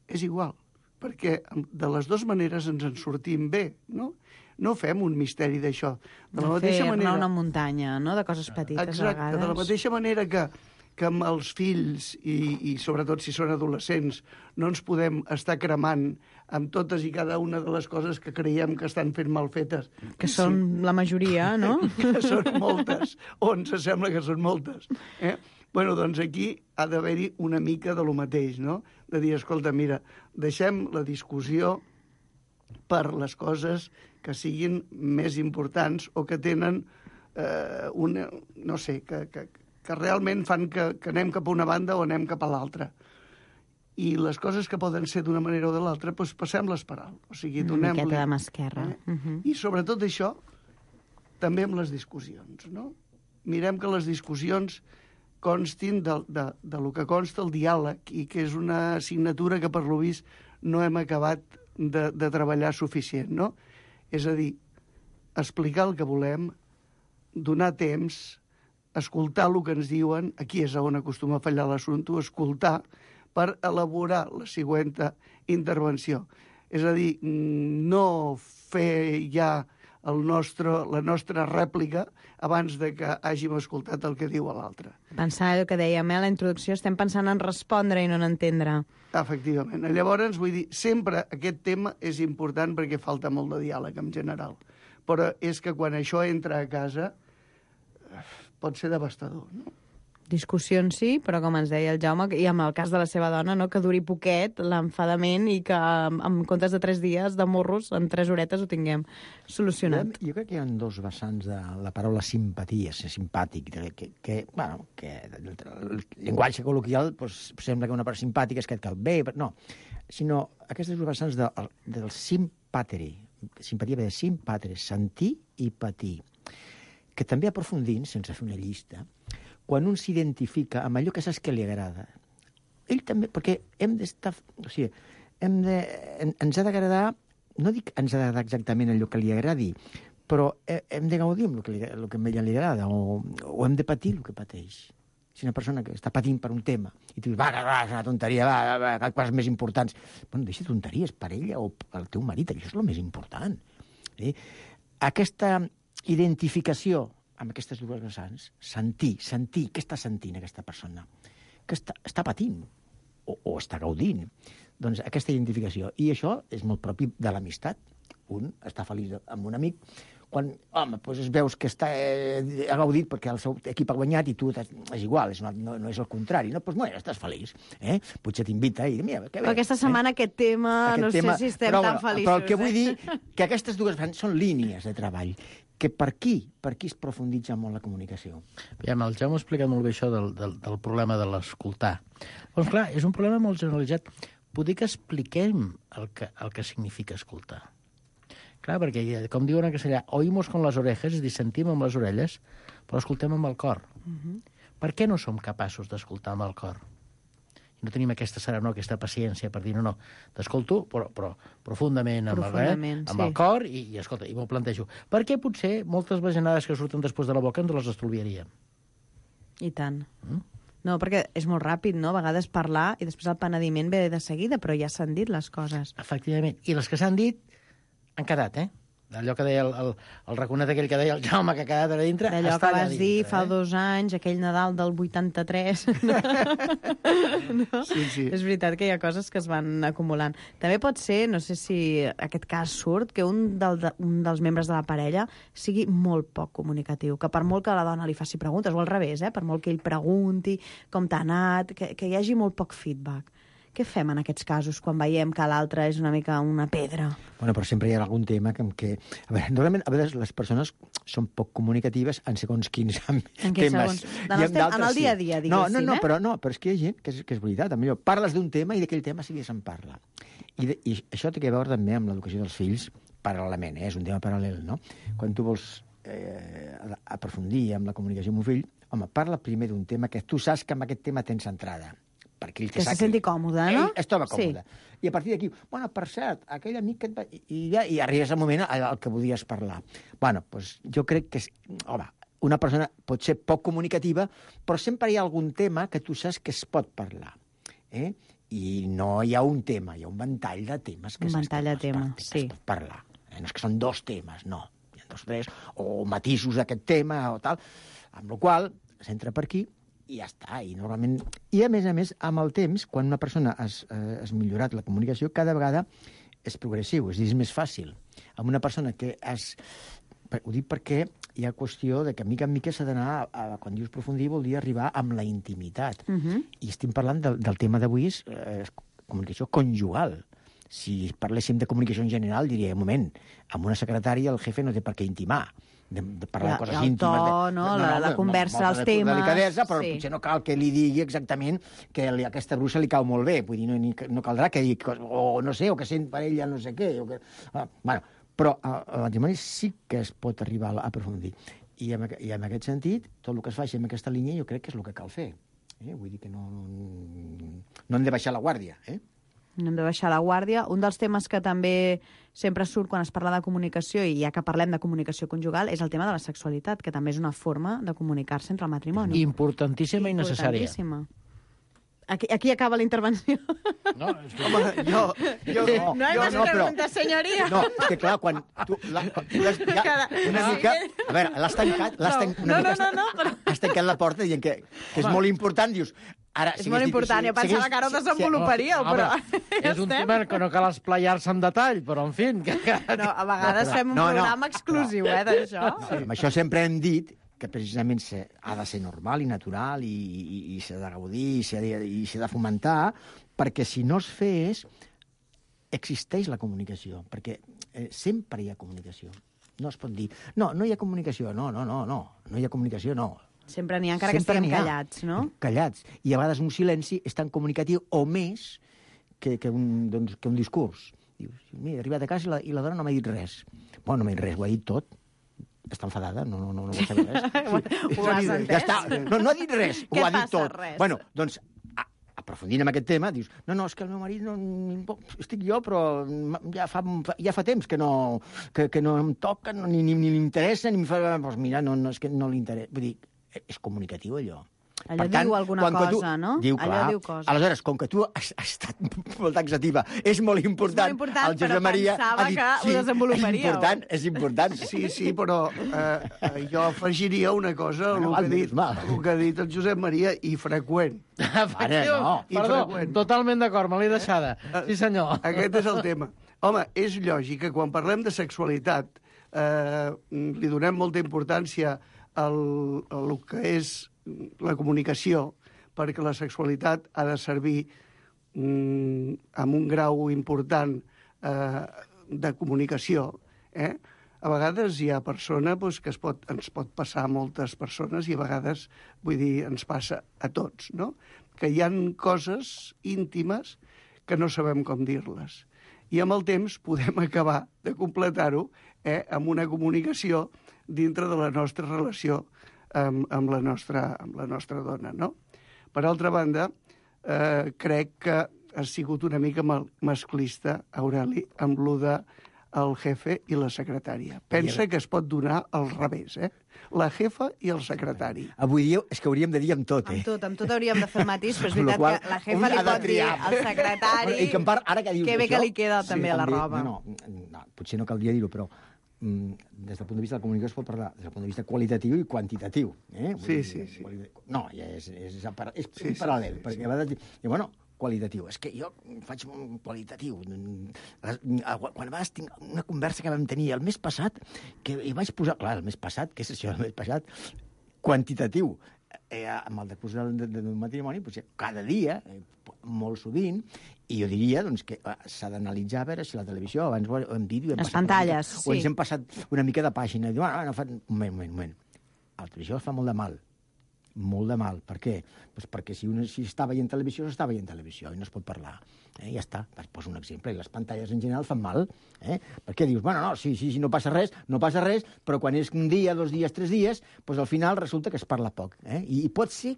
És igual, perquè de les dues maneres ens en sortim bé, no? No fem un misteri d'això. De la mateixa manera... una muntanya, no?, de coses petites, exacte, a vegades. De la mateixa manera que amb els fills, i sobretot si són adolescents, no ens podem estar cremant amb totes i cada una de les coses que creiem que estan fent mal fetes. Que són la majoria, no? Que són moltes, o ens sembla que són moltes. Bueno, doncs aquí ha d'haver-hi una mica de lo mateix, no? De dir, escolta, mira, deixem la discussió per les coses que siguin més importants o que tenen una... no sé, que realment fan que anem cap a una banda o anem cap a l'altra. I les coses que poden ser d'una manera o de l'altra, doncs passem-les per alt. O sigui, donem-li... Una miqueta de mà esquerra. I sobretot això, també amb les discussions, no? Mirem que les discussions constin de lo que consta el diàleg i que és una assignatura que, per lo vist, no hem acabat de treballar suficient, no? És a dir, explicar el que volem, donar temps, escoltar el que ens diuen, aquí és on acostuma a fallar l'assumpte, escoltar per elaborar la següent intervenció. És a dir, no fer ja la nostra rèplica abans de que hàgim escoltat el que diu l'altre. Pensar el que dèiem a la introducció, estem pensant en respondre i no en entendre. Efectivament. Llavors, vull dir, sempre aquest tema és important perquè falta molt de diàleg en general. Però és que quan això entra a casa pot ser devastador, no? Discussions sí, però com ens deia el Jaume, i amb el cas de la seva dona, no, que duri poquet l'enfadament i que en comptes de 3 dies de morros, en 3 horetes ho tinguem solucionat. Jo crec que hi ha 2 vessants de la paraula simpatia, ser simpàtic, que el llenguatge col·loquial doncs, sembla que una part simpàtica és que et cal bé, però no, sinó aquestes 2 vessants del simpateri, simpatia ve de simpatre, sentir i patir, que també aprofundint, sense fer una llista, quan un s'identifica amb allò que saps que li agrada, ell també, perquè hem d'estar... O sigui, ens ha d'agradar, no dic ens ha d'agradar exactament allò que li agradi, però hem de gaudir amb el que a ella li agrada, o hem de patir el que pateix. Si una persona que està patint per un tema i tu dius, va, és una tonteria, va, coses més importants. Bueno, deixa tonteries per ella o pel teu marit, això és el més important. Aquesta identificació amb aquestes 2 vessants, sentir, què està sentint aquesta persona? Que està patint o està gaudint? Doncs aquesta identificació. I això és molt propi de l'amistat. Un està feliç amb un amic quan, home, doncs es veus que ha gaudit perquè el seu equip ha guanyat i tu és igual, no és el contrari. No, doncs, bueno, estàs feliç. Potser t'invita i mira, que bé. Però aquesta setmana aquest tema, no sé si estem tan feliços. Però el que vull dir que aquestes 2 vessants són línies de treball que per aquí es profunditza molt la comunicació. Aviam, el Jaume ha explicat molt bé això del problema de l'escoltar. Doncs clar, és un problema molt generalitzat. Poder que expliquem el que significa escoltar. Clar, perquè, com diuen en castellà, oímos con las orejas, és dir, sentim amb les orelles, però escoltem amb el cor. Per què no som capaços d'escoltar amb el cor? I no tenim aquesta serenor, aquesta paciència per dir, no, t'escolto, però profundament, amb el cor, i escolta, i m'ho plantejo. Per què potser moltes bajanades que surten després de la boca ens les estalviaríem? I tant. No, perquè és molt ràpid, no? A vegades parlar i després el penediment ve de seguida, però ja s'han dit les coses. Efectivament. I les que s'han dit han quedat, Allò que deia el raconet aquell que deia el Jaume, que ha quedat a dintre, d'allò està que vas allà dir dintre, fa 2 anys, aquell Nadal del 83. No? Sí. És veritat que hi ha coses que es van acumulant. També pot ser, no sé si aquest cas surt, que un dels membres de la parella sigui molt poc comunicatiu, que per molt que la dona li faci preguntes, o al revés, per molt que ell pregunti com t'ha anat, que hi hagi molt poc feedback. Què fem en aquests casos quan veiem que l'altre és una mica una pedra? Bueno, però sempre hi ha algun tema que... A veure, normalment, a vegades les persones són poc comunicatives en segons quins temes. En el dia a dia, diguéssim, però és que hi ha gent que és veritat. Millor parles d'un tema i d'aquell tema sí que se'n parla. I això té a veure també amb l'educació dels fills paral·lelament, és un tema paral·lel, no? Quan tu vols aprofundir amb la comunicació amb un fill, home, parla primer d'un tema que tu saps que amb aquest tema tens entrada. Que se senti còmode, no? Ell es troba còmode. Sí. I a partir d'aquí, bueno, per cert, aquell amic que et va... I arribes al moment al que volies parlar. Bueno, doncs jo crec que... Home, una persona pot ser poc comunicativa, però sempre hi ha algun tema que tu saps que es pot parlar. I no hi ha un tema, hi ha un ventall de temes que es pot parlar. No és que són 2 temes, no. Hi ha 2 o 3, o matisos d'aquest tema o tal, amb la qual s'entra per aquí i ja està. I normalment... I a més, amb el temps, quan una persona has millorat la comunicació, cada vegada és progressiu, és més fàcil. Amb una persona que has... Ho dic perquè hi ha qüestió de que mica en mica s'ha d'anar... Quan dius profundir vol dir arribar amb la intimitat. I estem parlant del tema d'avui, és comunicació conjugal. Si parléssim de comunicació en general, diria, un moment, amb una secretària el jefe no té per què intimar. De parlar de coses íntimes. El to, no? La conversa, els temes... Delicadesa, però potser no cal que li digui exactament que aquesta bruixa li cau molt bé. Vull dir, no caldrà que digui... O no sé, o que sent per ella no sé què. Bueno, però el matrimoni sí que es pot arribar a aprofundir. I en aquest sentit, tot el que es faci en aquesta línia jo crec que és el que cal fer. Vull dir que no hem de baixar la guàrdia, No hem de baixar la guàrdia. Un dels temes que també sempre surt quan es parla de comunicació, i ja que parlem de comunicació conjugal, és el tema de la sexualitat, que també és una forma de comunicar-se entre el matrimoni. Importantíssima i necessària. Aquí acaba la intervenció. No, no hay más preguntes, senyoria. No, és que clar, quan tu... Una mica... A veure, l'has tancat... Has tancat la porta dient que és molt important, dius... És molt important, jo pensava que ara ho desenvoluparíeu, però... És un tema que no cal esplaiar-se en detall, però, en fi... No, a vegades fem un programa exclusiu, d'això. Amb això sempre hem dit que precisament ha de ser normal i natural i s'ha de gaudir i s'ha de fomentar, perquè si no es fes, existeix la comunicació, perquè sempre hi ha comunicació. No es pot dir, no hi ha comunicació, no hi ha comunicació, no. Sempre n'hi ha, encara que estiguem callats, no? Callats. I a vegades un silenci és tan comunicatiu o més que un discurs. Dius, mira, he arribat a casa i la dona no m'ha dit res. Bueno, no m'ha dit res, ho ha dit tot. Està enfadada, no vol saber res. Ho has entès? Ja està. No ha dit res, ho ha dit tot. Res? Bueno, doncs, aprofundint en aquest tema, dius, no, és que el meu marit estic jo, però ja fa temps que no em toca, ni m'interessa, ni em fa... Doncs mira, és que no li interessa. Vull dir, és comunicatiu, allò. Allò diu alguna cosa, no? Diu, allò diu coses. Aleshores, com que tu has estat molt taxativa, és molt important, el Josep Maria ha dit, que ho desenvoluparíeu. És important. Sí, però jo afegiria una cosa al que ha dit el Josep Maria, i freqüent. Perdó, totalment d'acord, me l'he deixada. Sí, senyor. Aquest és el tema. Home, és lògic que quan parlem de sexualitat li donem molta importància a el que és la comunicació, perquè la sexualitat ha de servir amb un grau important de comunicació. A vegades hi ha persona que ens pot passar a moltes persones i a vegades, vull dir, ens passa a tots, no? Que hi han coses íntimes que no sabem com dir-les. I amb el temps podem acabar de completar-ho amb una comunicació dintre de la nostra relació amb la nostra dona, no? Per altra banda, crec que ha sigut una mica masclista, Aureli, amb lo de el jefe i la secretària. Pensa que es pot donar al revés, eh? La jefa i el secretari. Avui dia és que hauríem de dir amb tot, eh? Amb tot hauríem de fer el matís, però és veritat que la jefa li pot dir al secretari I que en part, ara que dius que bé això, que li queda també a la roba. No, potser no caldria dir-ho, però des del punt de vista de la comunicació es pot parlar des del punt de vista qualitatiu i quantitatiu. Sí. No, ja és paral·lel, perquè a vegades dic, bueno, qualitatiu. És que jo faig un qualitatiu. Quan vas tinc una conversa que vam tenir el mes passat, que hi vaig posar... Clar, el mes passat, què és això el mes passat? Quantitatiu. Amb el decurs del matrimoni, potser cada dia, molt sovint, i jo diria doncs, que s'ha d'analitzar a veure si la televisió, abans ho hem dit... Les pantalles, sí. O ens hem passat una mica de pàgina. I diu, un moment. La televisió fa molt de mal. Molt de mal. Per què? Pues perquè si està veient televisió, s'està veient televisió i no es pot parlar. Ja està. Et poso un exemple. I les pantalles en general fan mal. Perquè dius, bueno, no, sí, no passa res, però quan és un dia, 2 dies, 3 dies, doncs al final resulta que es parla poc. I pot ser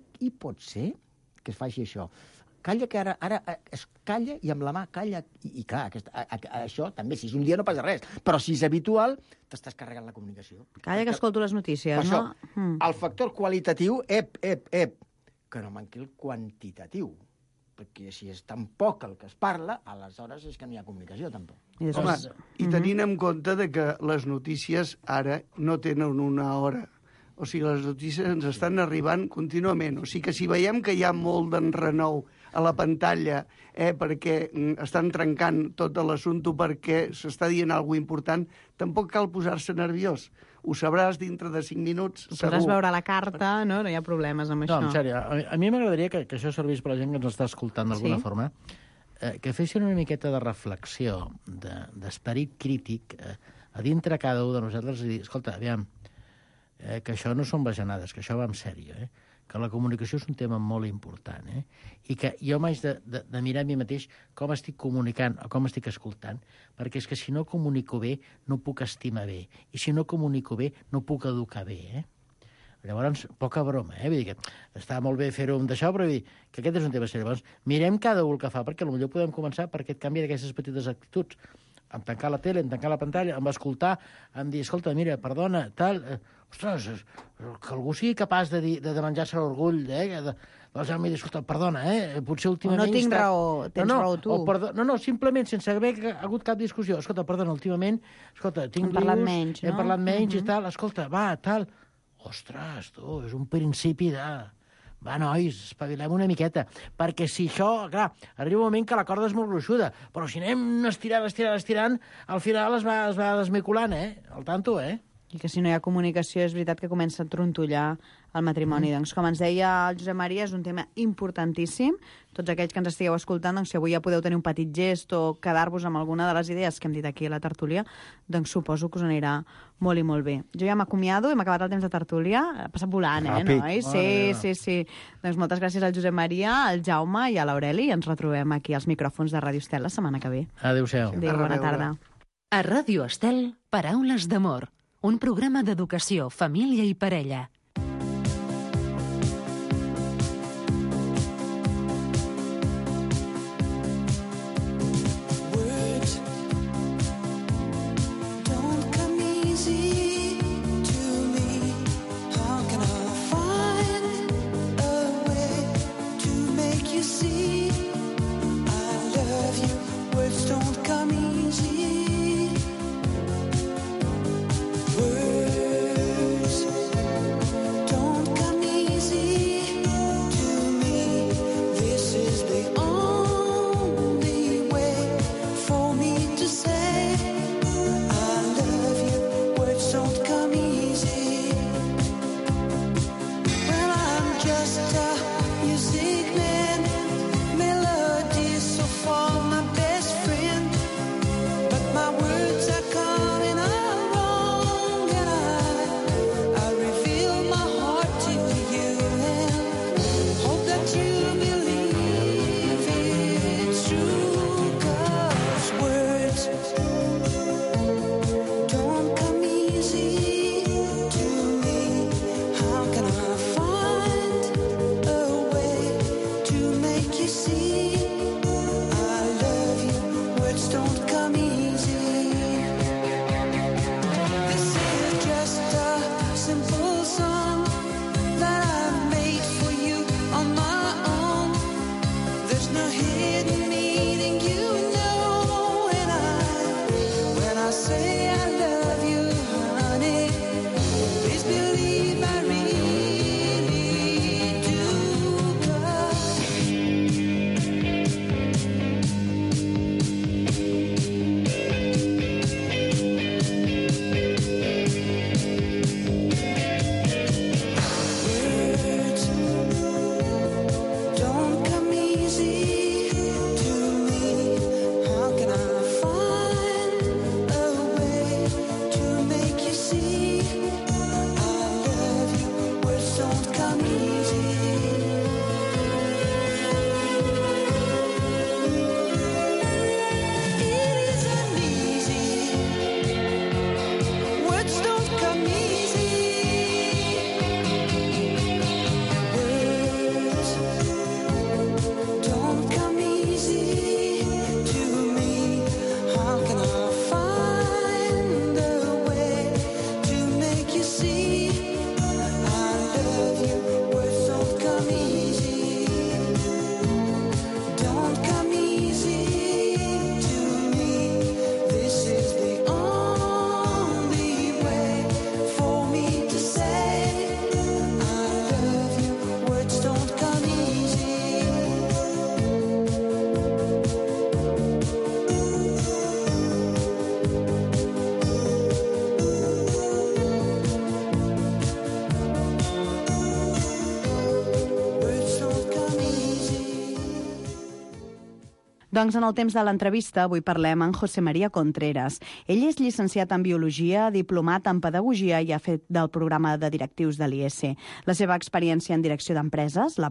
que es faci això. Calla, que ara es calla i amb la mà calla. I clar, això també, si és un dia no passa res. Però si és habitual, t'estàs carregant la comunicació. Calla que escolto les notícies, això, no? El factor qualitatiu, que no manqui el quantitatiu. Perquè si és tan poc el que es parla, aleshores és que no hi ha comunicació, tampoc. Home, i tenint en compte de que les notícies ara no tenen una hora. O sigui, les notícies ens estan arribant contínuament. O sigui que si veiem que hi ha molt d'enrenou a la pantalla perquè estan trencant tot l'assumpte perquè s'està dient alguna important, tampoc cal posar-se nerviós. Ho sabràs dintre de 5 minuts, segur. Podràs veure la carta, no hi ha problemes amb això. No, en sèrio, a mi m'agradaria que això servís per la gent que ens està escoltant d'alguna forma, que fessin una miqueta de reflexió, d'esperit crític, a dintre cada un de nosaltres i dir, escolta, aviam, que això no són bajanades, que això va en sèrio, que la comunicació és un tema molt important, i que jo m'haig de mirar a mi mateix com estic comunicant o com estic escoltant, perquè és que si no comunico bé, no puc estimar bé, i si no comunico bé, no puc educar bé, Llavors, poca broma, vull dir que està molt bé fer-ho amb d'això, però vull dir que aquest és un tema seriós. Llavors, mirem cada un el que fa, perquè potser podem començar per aquest canvi d'aquestes petites actituds, en tancar la tele, en tancar la pantalla, en escoltar, en dir, escolta, mira, perdona, tal... Ostres, que algú sigui capaç de menjar-se l'orgull, doncs em dir, escolta, perdona, potser últimament... No tinc raó, tens raó tu. No, simplement, sense haver hagut cap discussió. Escolta, perdona, últimament, escolta, tinc lius... Hem parlat menys i tal, escolta, va, tal... Ostres, tu, és un principi de... Va, nois, espavilem una miqueta. Perquè si això, clar, arriba un moment que la corda és molt gruixuda, però si anem estirant, al final es va desmiculant, al tanto, I que si no hi ha comunicació és veritat que comença a trontollar el matrimoni. Doncs, com ens deia el Josep Maria, és un tema importantíssim. Tots aquells que ens estigueu escoltant, doncs, si avui ja podeu tenir un petit gest o quedar-vos amb alguna de les idees que hem dit aquí a la tertúlia, doncs suposo que us anirà molt i molt bé. Jo ja m'acomiado, hem acabat el temps de tertúlia. Ha passat volant, nois? Sí. Doncs moltes gràcies al Josep Maria, al Jaume i a l'Aureli. Ens retrobem aquí als micròfons de Ràdio Estel la setmana que ve. Adéu-siau. Adéu, bona tarda. A Ràdio Estel, Paraules d'amor. Un programa d'educació, família i parella. Don't come easy. Doncs en el temps de l'entrevista avui parlem amb José María Contreras. Ell és llicenciat en Biologia, diplomat en Pedagogia i ha fet del programa de directius de l'IES. La seva experiència en direcció d'empreses l'ha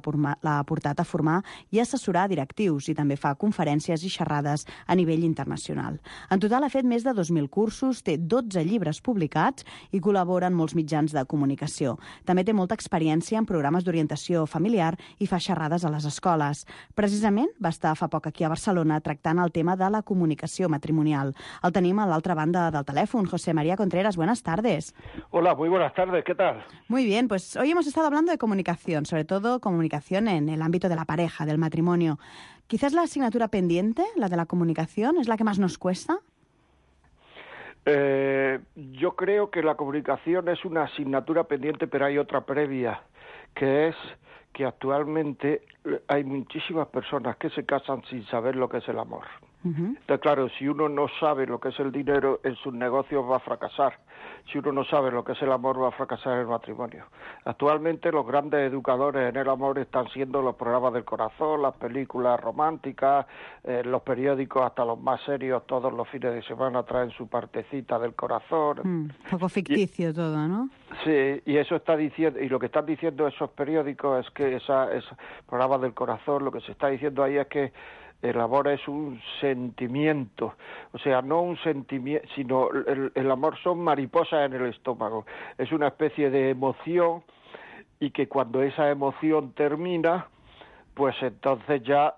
portat a formar i assessorar directius i també fa conferències i xerrades a nivell internacional. En total ha fet més de 2.000 cursos, té 12 llibres publicats i col·labora en molts mitjans de comunicació. També té molta experiència en programes d'orientació familiar i fa xerrades a les escoles. Precisament va estar fa poc aquí a Barcelona tractant el tema de la comunicació matrimonial. El tenim a l'altra banda del teléfono. José María Contreras, buenas tardes. Hola, muy buenas tardes, ¿qué tal? Muy bien, pues hoy hemos estado hablando de comunicación, sobre todo comunicación en el ámbito de la pareja, del matrimonio. Quizás la asignatura pendiente, la de la comunicación, es la que más nos cuesta. Yo creo que la comunicación es una asignatura pendiente, pero hay otra previa, que es que actualmente hay muchísimas personas que se casan sin saber lo que es el amor. Entonces, claro, si uno no sabe lo que es el dinero, en sus negocios va a fracasar. Si uno no sabe lo que es el amor, va a fracasar en el matrimonio. Actualmente los grandes educadores en el amor están siendo los programas del corazón, las películas románticas, los periódicos, hasta los más serios, todos los fines de semana traen su partecita del corazón. Un poco ficticio todo, ¿no? Sí, y eso está diciendo, y lo que están diciendo esos periódicos es que esos programas del corazón, lo que se está diciendo ahí es que el amor es un sentimiento, o sea, no un sentimiento, sino el amor son mariposas en el estómago, es una especie de emoción y que cuando esa emoción termina, pues entonces ya,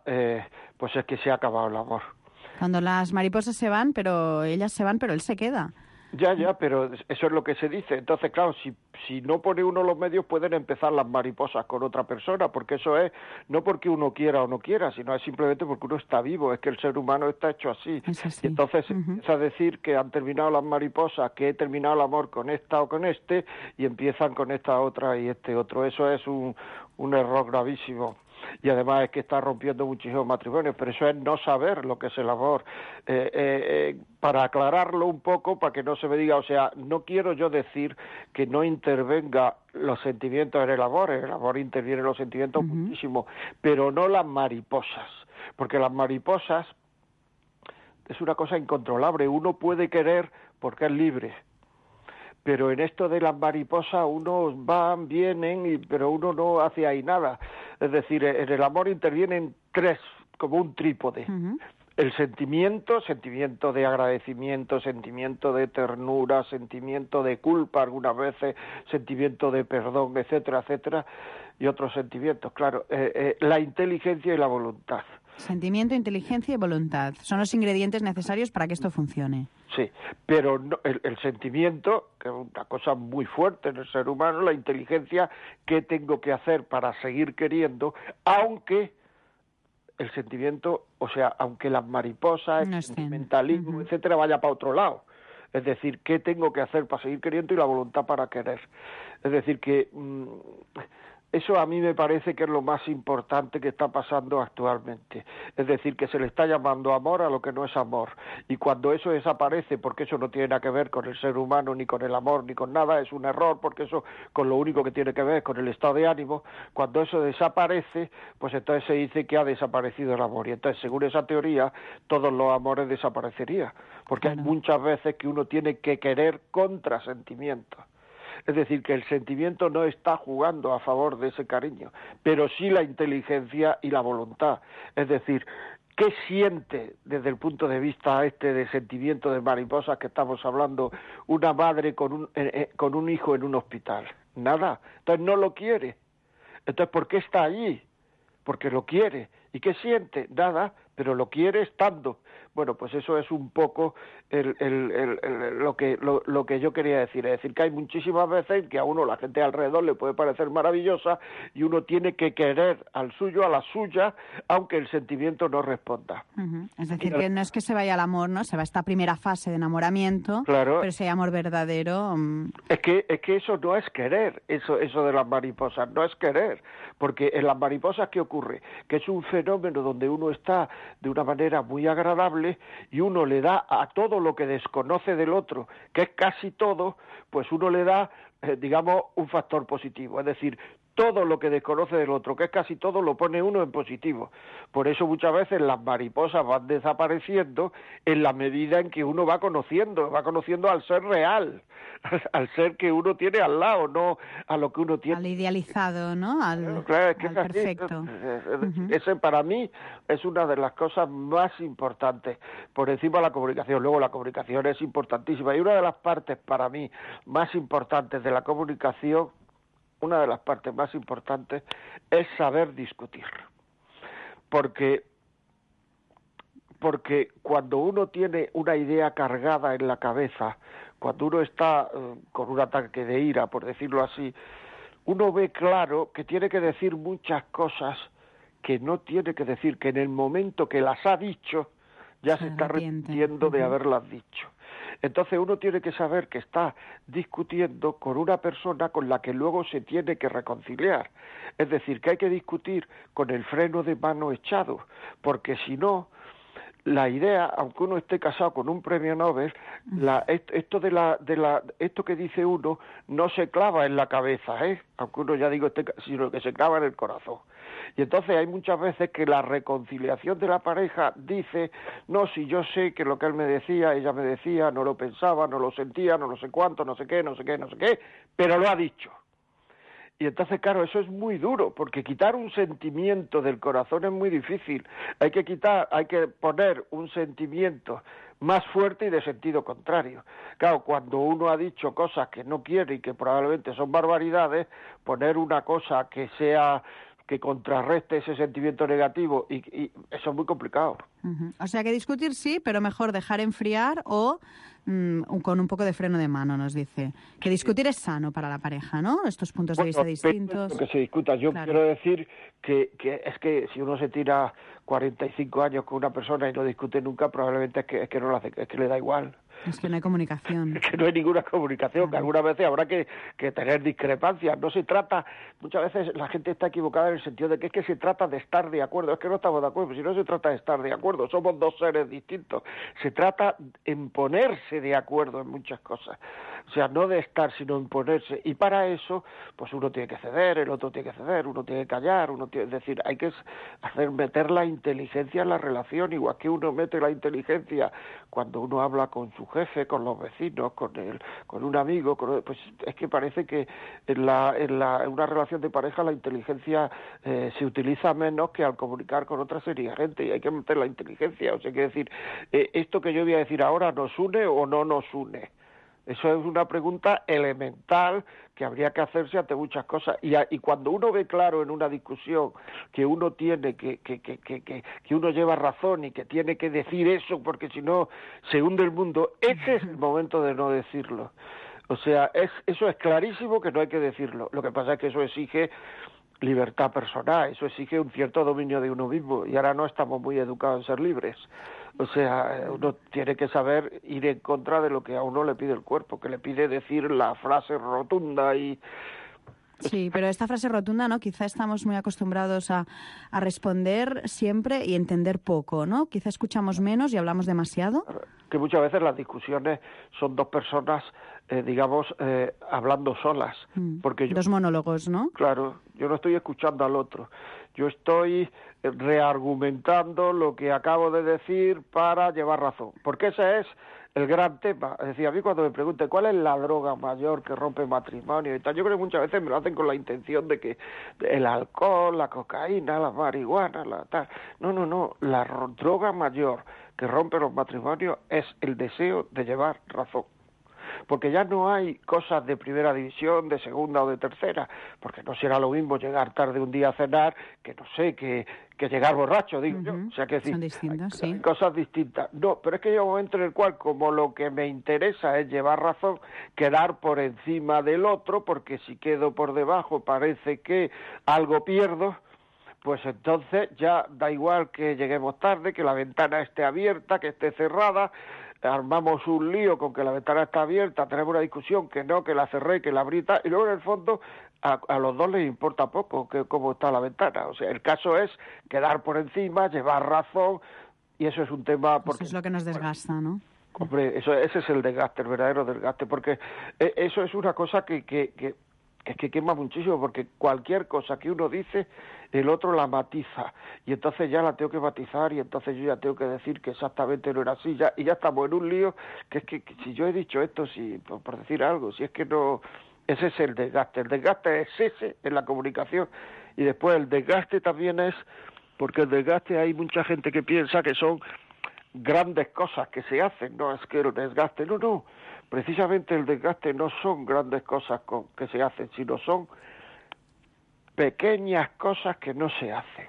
pues es que se ha acabado el amor. Cuando las mariposas se van, pero ellas se van, pero él se queda. Ya, pero eso es lo que se dice. Entonces, claro, si no pone uno los medios, pueden empezar las mariposas con otra persona, porque eso es no porque uno quiera o no quiera, sino es simplemente porque uno está vivo, es que el ser humano está hecho así. así. Y entonces se empieza a decir que han terminado las mariposas, que he terminado el amor con esta o con este, y empiezan con esta otra y este otro. Eso es un error gravísimo. Y además es que está rompiendo muchísimos matrimonios, pero eso es no saber lo que es el amor. Para aclararlo un poco, para que no se me diga, o sea, no quiero yo decir que no intervenga los sentimientos en el amor interviene en los sentimientos muchísimo, pero no las mariposas, porque las mariposas es una cosa incontrolable, uno puede querer porque es libre, pero en esto de las mariposas unos van, vienen, pero uno no hace ahí nada. Es decir, en el amor intervienen tres, como un trípode. El sentimiento de agradecimiento, sentimiento de ternura, sentimiento de culpa algunas veces, sentimiento de perdón, etcétera, etcétera, y otros sentimientos, claro. La inteligencia y la voluntad. Sentimiento, inteligencia y voluntad. Son los ingredientes necesarios para que esto funcione. Sí, pero no, el sentimiento, que es una cosa muy fuerte en el ser humano, la inteligencia, ¿qué tengo que hacer para seguir queriendo? Aunque el sentimiento, o sea, aunque las mariposas, el sentimentalismo, etcétera, vaya para otro lado. Es decir, ¿qué tengo que hacer para seguir queriendo? Y la voluntad para querer. Es decir, que eso a mí me parece que es lo más importante que está pasando actualmente. Es decir, que se le está llamando amor a lo que no es amor. Y cuando eso desaparece, porque eso no tiene nada que ver con el ser humano, ni con el amor, ni con nada, es un error, porque eso con lo único que tiene que ver es con el estado de ánimo, cuando eso desaparece, pues entonces se dice que ha desaparecido el amor. Y entonces, según esa teoría, todos los amores desaparecerían. Porque hay muchas veces que uno tiene que querer contra sentimientos. Es decir, que el sentimiento no está jugando a favor de ese cariño, pero sí la inteligencia y la voluntad. Es decir, ¿qué siente desde el punto de vista de sentimiento de mariposas que estamos hablando una madre con un hijo en un hospital? Nada. Entonces no lo quiere. Entonces, ¿por qué está allí? Porque lo quiere. ¿Y qué siente? Nada, pero lo quiere estando. Bueno, pues eso es un poco lo que yo quería decir. Es decir, que hay muchísimas veces que a uno la gente alrededor le puede parecer maravillosa y uno tiene que querer al suyo, a la suya, aunque el sentimiento no responda. Es decir, que no es que se vaya al amor, ¿no? Se va a esta primera fase de enamoramiento, claro, pero si hay amor verdadero... Es que eso no es querer, eso de las mariposas, no es querer, porque en las mariposas, ¿qué ocurre? Que es un fenómeno donde uno está de una manera muy agradable y uno le da a todo lo que desconoce del otro, que es casi todo, pues uno le da, digamos, un factor positivo. Es decir, todo lo que desconoce del otro, que es casi todo, lo pone uno en positivo. Por eso muchas veces las mariposas van desapareciendo en la medida en que uno va conociendo al ser real, al ser que uno tiene al lado, no a lo que uno tiene. Al idealizado, ¿no? Claro, es que al es así. perfecto. Ese para mí es una de las cosas más importantes, por encima de la comunicación. Luego la comunicación es importantísima, y una de las partes para mí más importantes de la comunicación, una de las partes más importantes es saber discutir. Porque cuando uno tiene una idea cargada en la cabeza, cuando uno está con un ataque de ira, por decirlo así, uno ve claro que tiene que decir muchas cosas que no tiene que decir, que en el momento que las ha dicho ya se está arrepintiendo de haberlas dicho. Entonces uno tiene que saber que está discutiendo con una persona con la que luego se tiene que reconciliar. Es decir, que hay que discutir con el freno de mano echado, porque si no, la idea, aunque uno esté casado con un premio Nobel, esto que dice uno no se clava en la cabeza, aunque uno ya digo sino que se clava en el corazón. Y entonces hay muchas veces que la reconciliación de la pareja dice, no, si yo sé que lo que él me decía, ella me decía, no lo pensaba, no lo sentía, no lo sé cuánto, no sé qué, pero lo ha dicho. Y entonces, claro, eso es muy duro, porque quitar un sentimiento del corazón es muy difícil. Hay que poner un sentimiento más fuerte y de sentido contrario. Claro, cuando uno ha dicho cosas que no quiere y que probablemente son barbaridades, poner una cosa que contrarreste ese sentimiento negativo, y eso es muy complicado. O sea que discutir sí, pero mejor dejar enfriar o con un poco de freno de mano, nos dice. Que discutir es sano para la pareja, ¿no? Estos puntos de vista distintos. Que se discuta. Yo quiero decir que es que si uno se tira 45 años con una persona y no discute nunca, probablemente es que no lo hace, es que le da igual. Es que no hay comunicación. Es que no hay ninguna comunicación, que algunas veces habrá que tener discrepancias. No se trata, muchas veces la gente está equivocada en el sentido de que es que se trata de estar de acuerdo. Es que no estamos de acuerdo, si no se trata de estar de acuerdo, somos dos seres distintos. Se trata en ponerse de acuerdo en muchas cosas. O sea, no de estar, sino en ponerse. Y para eso, pues uno tiene que ceder, el otro tiene que ceder, uno tiene que callar, es decir, hay que meter la inteligencia en la relación, igual que uno mete la inteligencia cuando uno habla con su jefe, con los vecinos, con un amigo, pues es que parece que en una relación de pareja la inteligencia se utiliza menos que al comunicar con otra serie de gente, y hay que meter la inteligencia. O sea, que decir, esto que yo voy a decir ahora, ¿nos une o no nos une? Eso es una pregunta elemental que habría que hacerse ante muchas cosas. Y cuando uno ve claro en una discusión que uno tiene que uno lleva razón y que tiene que decir eso porque si no se hunde el mundo, ese es el momento de no decirlo. O sea, eso es clarísimo que no hay que decirlo. Lo que pasa es que eso exige libertad personal, eso exige un cierto dominio de uno mismo, y ahora no estamos muy educados en ser libres. O sea, uno tiene que saber ir en contra de lo que a uno le pide el cuerpo, que le pide decir la frase rotunda y... Sí, pero esta frase rotunda, ¿no? Quizá estamos muy acostumbrados a responder siempre y entender poco, ¿no? Quizá escuchamos menos y hablamos demasiado. Que muchas veces las discusiones son dos personas, hablando solas. Porque dos monólogos, ¿no? Claro, yo no estoy escuchando al otro. Yo estoy reargumentando lo que acabo de decir para llevar razón. Porque ese es el gran tema. Es decir, a mí cuando me pregunten cuál es la droga mayor que rompe matrimonio y tal, yo creo que muchas veces me lo hacen con la intención de que el alcohol, la cocaína, la marihuana, la tal. No. La droga mayor que rompe los matrimonios es el deseo de llevar razón. Porque ya no hay cosas de primera división, de segunda o de tercera, porque no será lo mismo llegar tarde un día a cenar que, no sé, que llegar borracho, digo yo. O sea, que son distintas, sí. Hay cosas distintas. No, pero es que llega un momento en el cual, como lo que me interesa es llevar razón, quedar por encima del otro, porque si quedo por debajo parece que algo pierdo, pues entonces ya da igual que lleguemos tarde, que la ventana esté abierta, que esté cerrada, armamos un lío con que la ventana está abierta, tenemos una discusión que no, que la cerré, que la abrí, y luego en el fondo a los dos les importa poco cómo está la ventana. O sea, el caso es quedar por encima, llevar razón, y eso es un tema... Eso es lo que nos desgasta, ¿no? Hombre, ese es el desgaste, el verdadero desgaste, porque eso es una cosa que que es que quema muchísimo, porque cualquier cosa que uno dice, el otro la matiza, y entonces ya la tengo que matizar, y entonces yo ya tengo que decir que exactamente no era así, y ya estamos en un lío, que es que si yo he dicho esto, si por decir algo, si es que no... Ese es el desgaste es ese en la comunicación, y después el desgaste también es, porque el desgaste hay mucha gente que piensa que son grandes cosas que se hacen, no es que el desgaste, no, precisamente el desgaste no son grandes cosas que se hacen, sino son pequeñas cosas que no se hacen.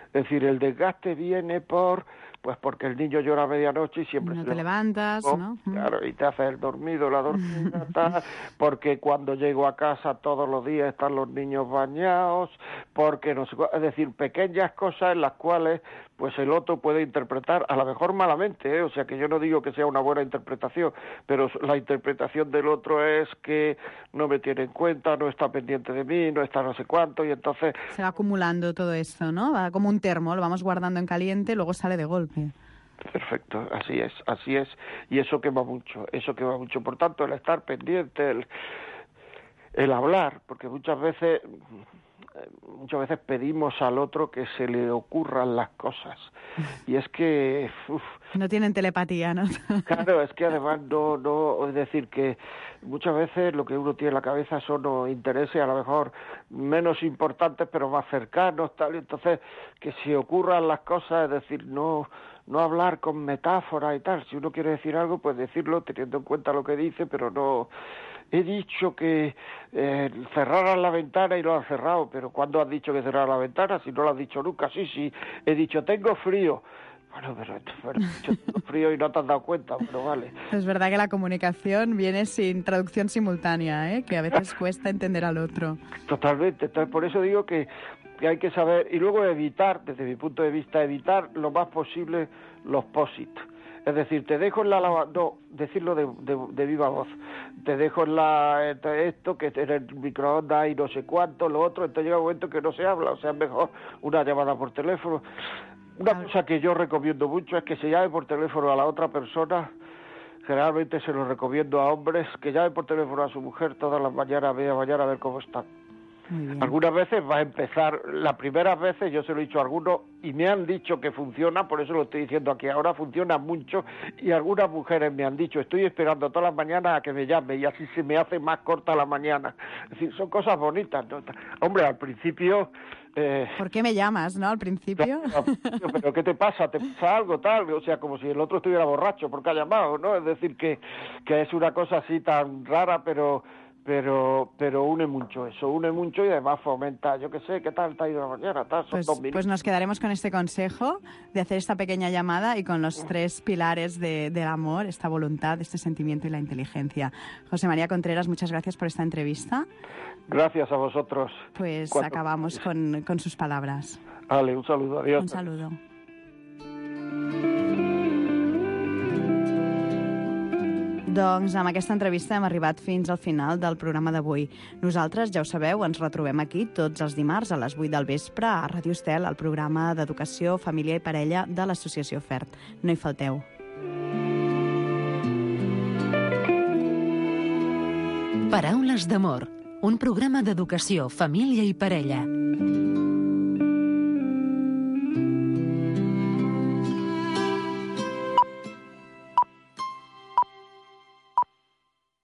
Es decir, el desgaste viene porque el niño llora a medianoche y siempre no te levantas, ¿no? Claro, y te hace el dormido, la dormida, tal, porque cuando llego a casa todos los días están los niños bañados, porque no sé, es decir, pequeñas cosas en las cuales pues el otro puede interpretar, a lo mejor malamente, o sea que yo no digo que sea una buena interpretación, pero la interpretación del otro es que no me tiene en cuenta, no está pendiente de mí, no está no sé cuánto, y entonces... Se va acumulando todo esto, ¿no? Va como un termo, lo vamos guardando en caliente, luego sale de golpe. Perfecto, así es, y eso quema mucho, por tanto el estar pendiente, el hablar, porque muchas veces pedimos al otro que se le ocurran las cosas, y es que... no tienen telepatía, ¿no? Claro, es que además no, es decir que muchas veces lo que uno tiene en la cabeza son los intereses a lo mejor menos importantes pero más cercanos, tal, y entonces que se ocurran las cosas, es decir, no hablar con metáforas y tal, si uno quiere decir algo, pues decirlo teniendo en cuenta lo que dice, pero no... He dicho que cerraran la ventana y lo han cerrado, pero ¿cuándo has dicho que cerraran la ventana? Si no lo has dicho nunca, sí, he dicho tengo frío. Bueno, pero he dicho tengo frío y no te has dado cuenta, bueno, vale. Es verdad que la comunicación viene sin traducción simultánea, ¿eh? Que a veces cuesta entender al otro. Totalmente, entonces por eso digo que hay que saber, y luego evitar, desde mi punto de vista, evitar lo más posible los posit. Es decir, te dejo en la lavadora, no, decirlo de viva voz, te dejo en esto, que en el microondas y no sé cuánto, lo otro, entonces llega un momento que no se habla, o sea, es mejor una llamada por teléfono. Una cosa que yo recomiendo mucho es que se llame por teléfono a la otra persona, generalmente se lo recomiendo a hombres, que llame por teléfono a su mujer todas las mañanas, media mañana, a ver cómo están. Algunas veces va a empezar, las primeras veces yo se lo he dicho a algunos y me han dicho que funciona, por eso lo estoy diciendo aquí ahora, funciona mucho, y algunas mujeres me han dicho, estoy esperando todas las mañanas a que me llame y así se me hace más corta la mañana. Es decir, son cosas bonitas, ¿no? Hombre, al principio... ¿Por qué me llamas, no, al principio? Pero ¿qué te pasa? ¿Te pasa algo tal? O sea, como si el otro estuviera borracho porque ha llamado, ¿no? Es decir, que es una cosa así tan rara, pero une mucho eso, une mucho y además fomenta, yo qué sé, ¿qué tal te ha ido la mañana? Tal, son 2 minutos. Pues nos quedaremos con este consejo de hacer esta pequeña llamada y con los 3 pilares del amor, esta voluntad, este sentimiento y la inteligencia. José María Contreras, muchas gracias por esta entrevista. Gracias a vosotros. Pues acabamos con sus palabras. Vale, un saludo, adiós. Un saludo. Doncs amb aquesta entrevista hem arribat fins al final del programa d'avui. Nosaltres, ja ho sabeu, ens retrobem aquí tots els dimarts a les 8 del vespre a Ràdio Estel, al programa d'Educació, Família i Parella de l'Associació FERT. No hi falteu. Paraules d'amor, un programa d'educació, família i parella.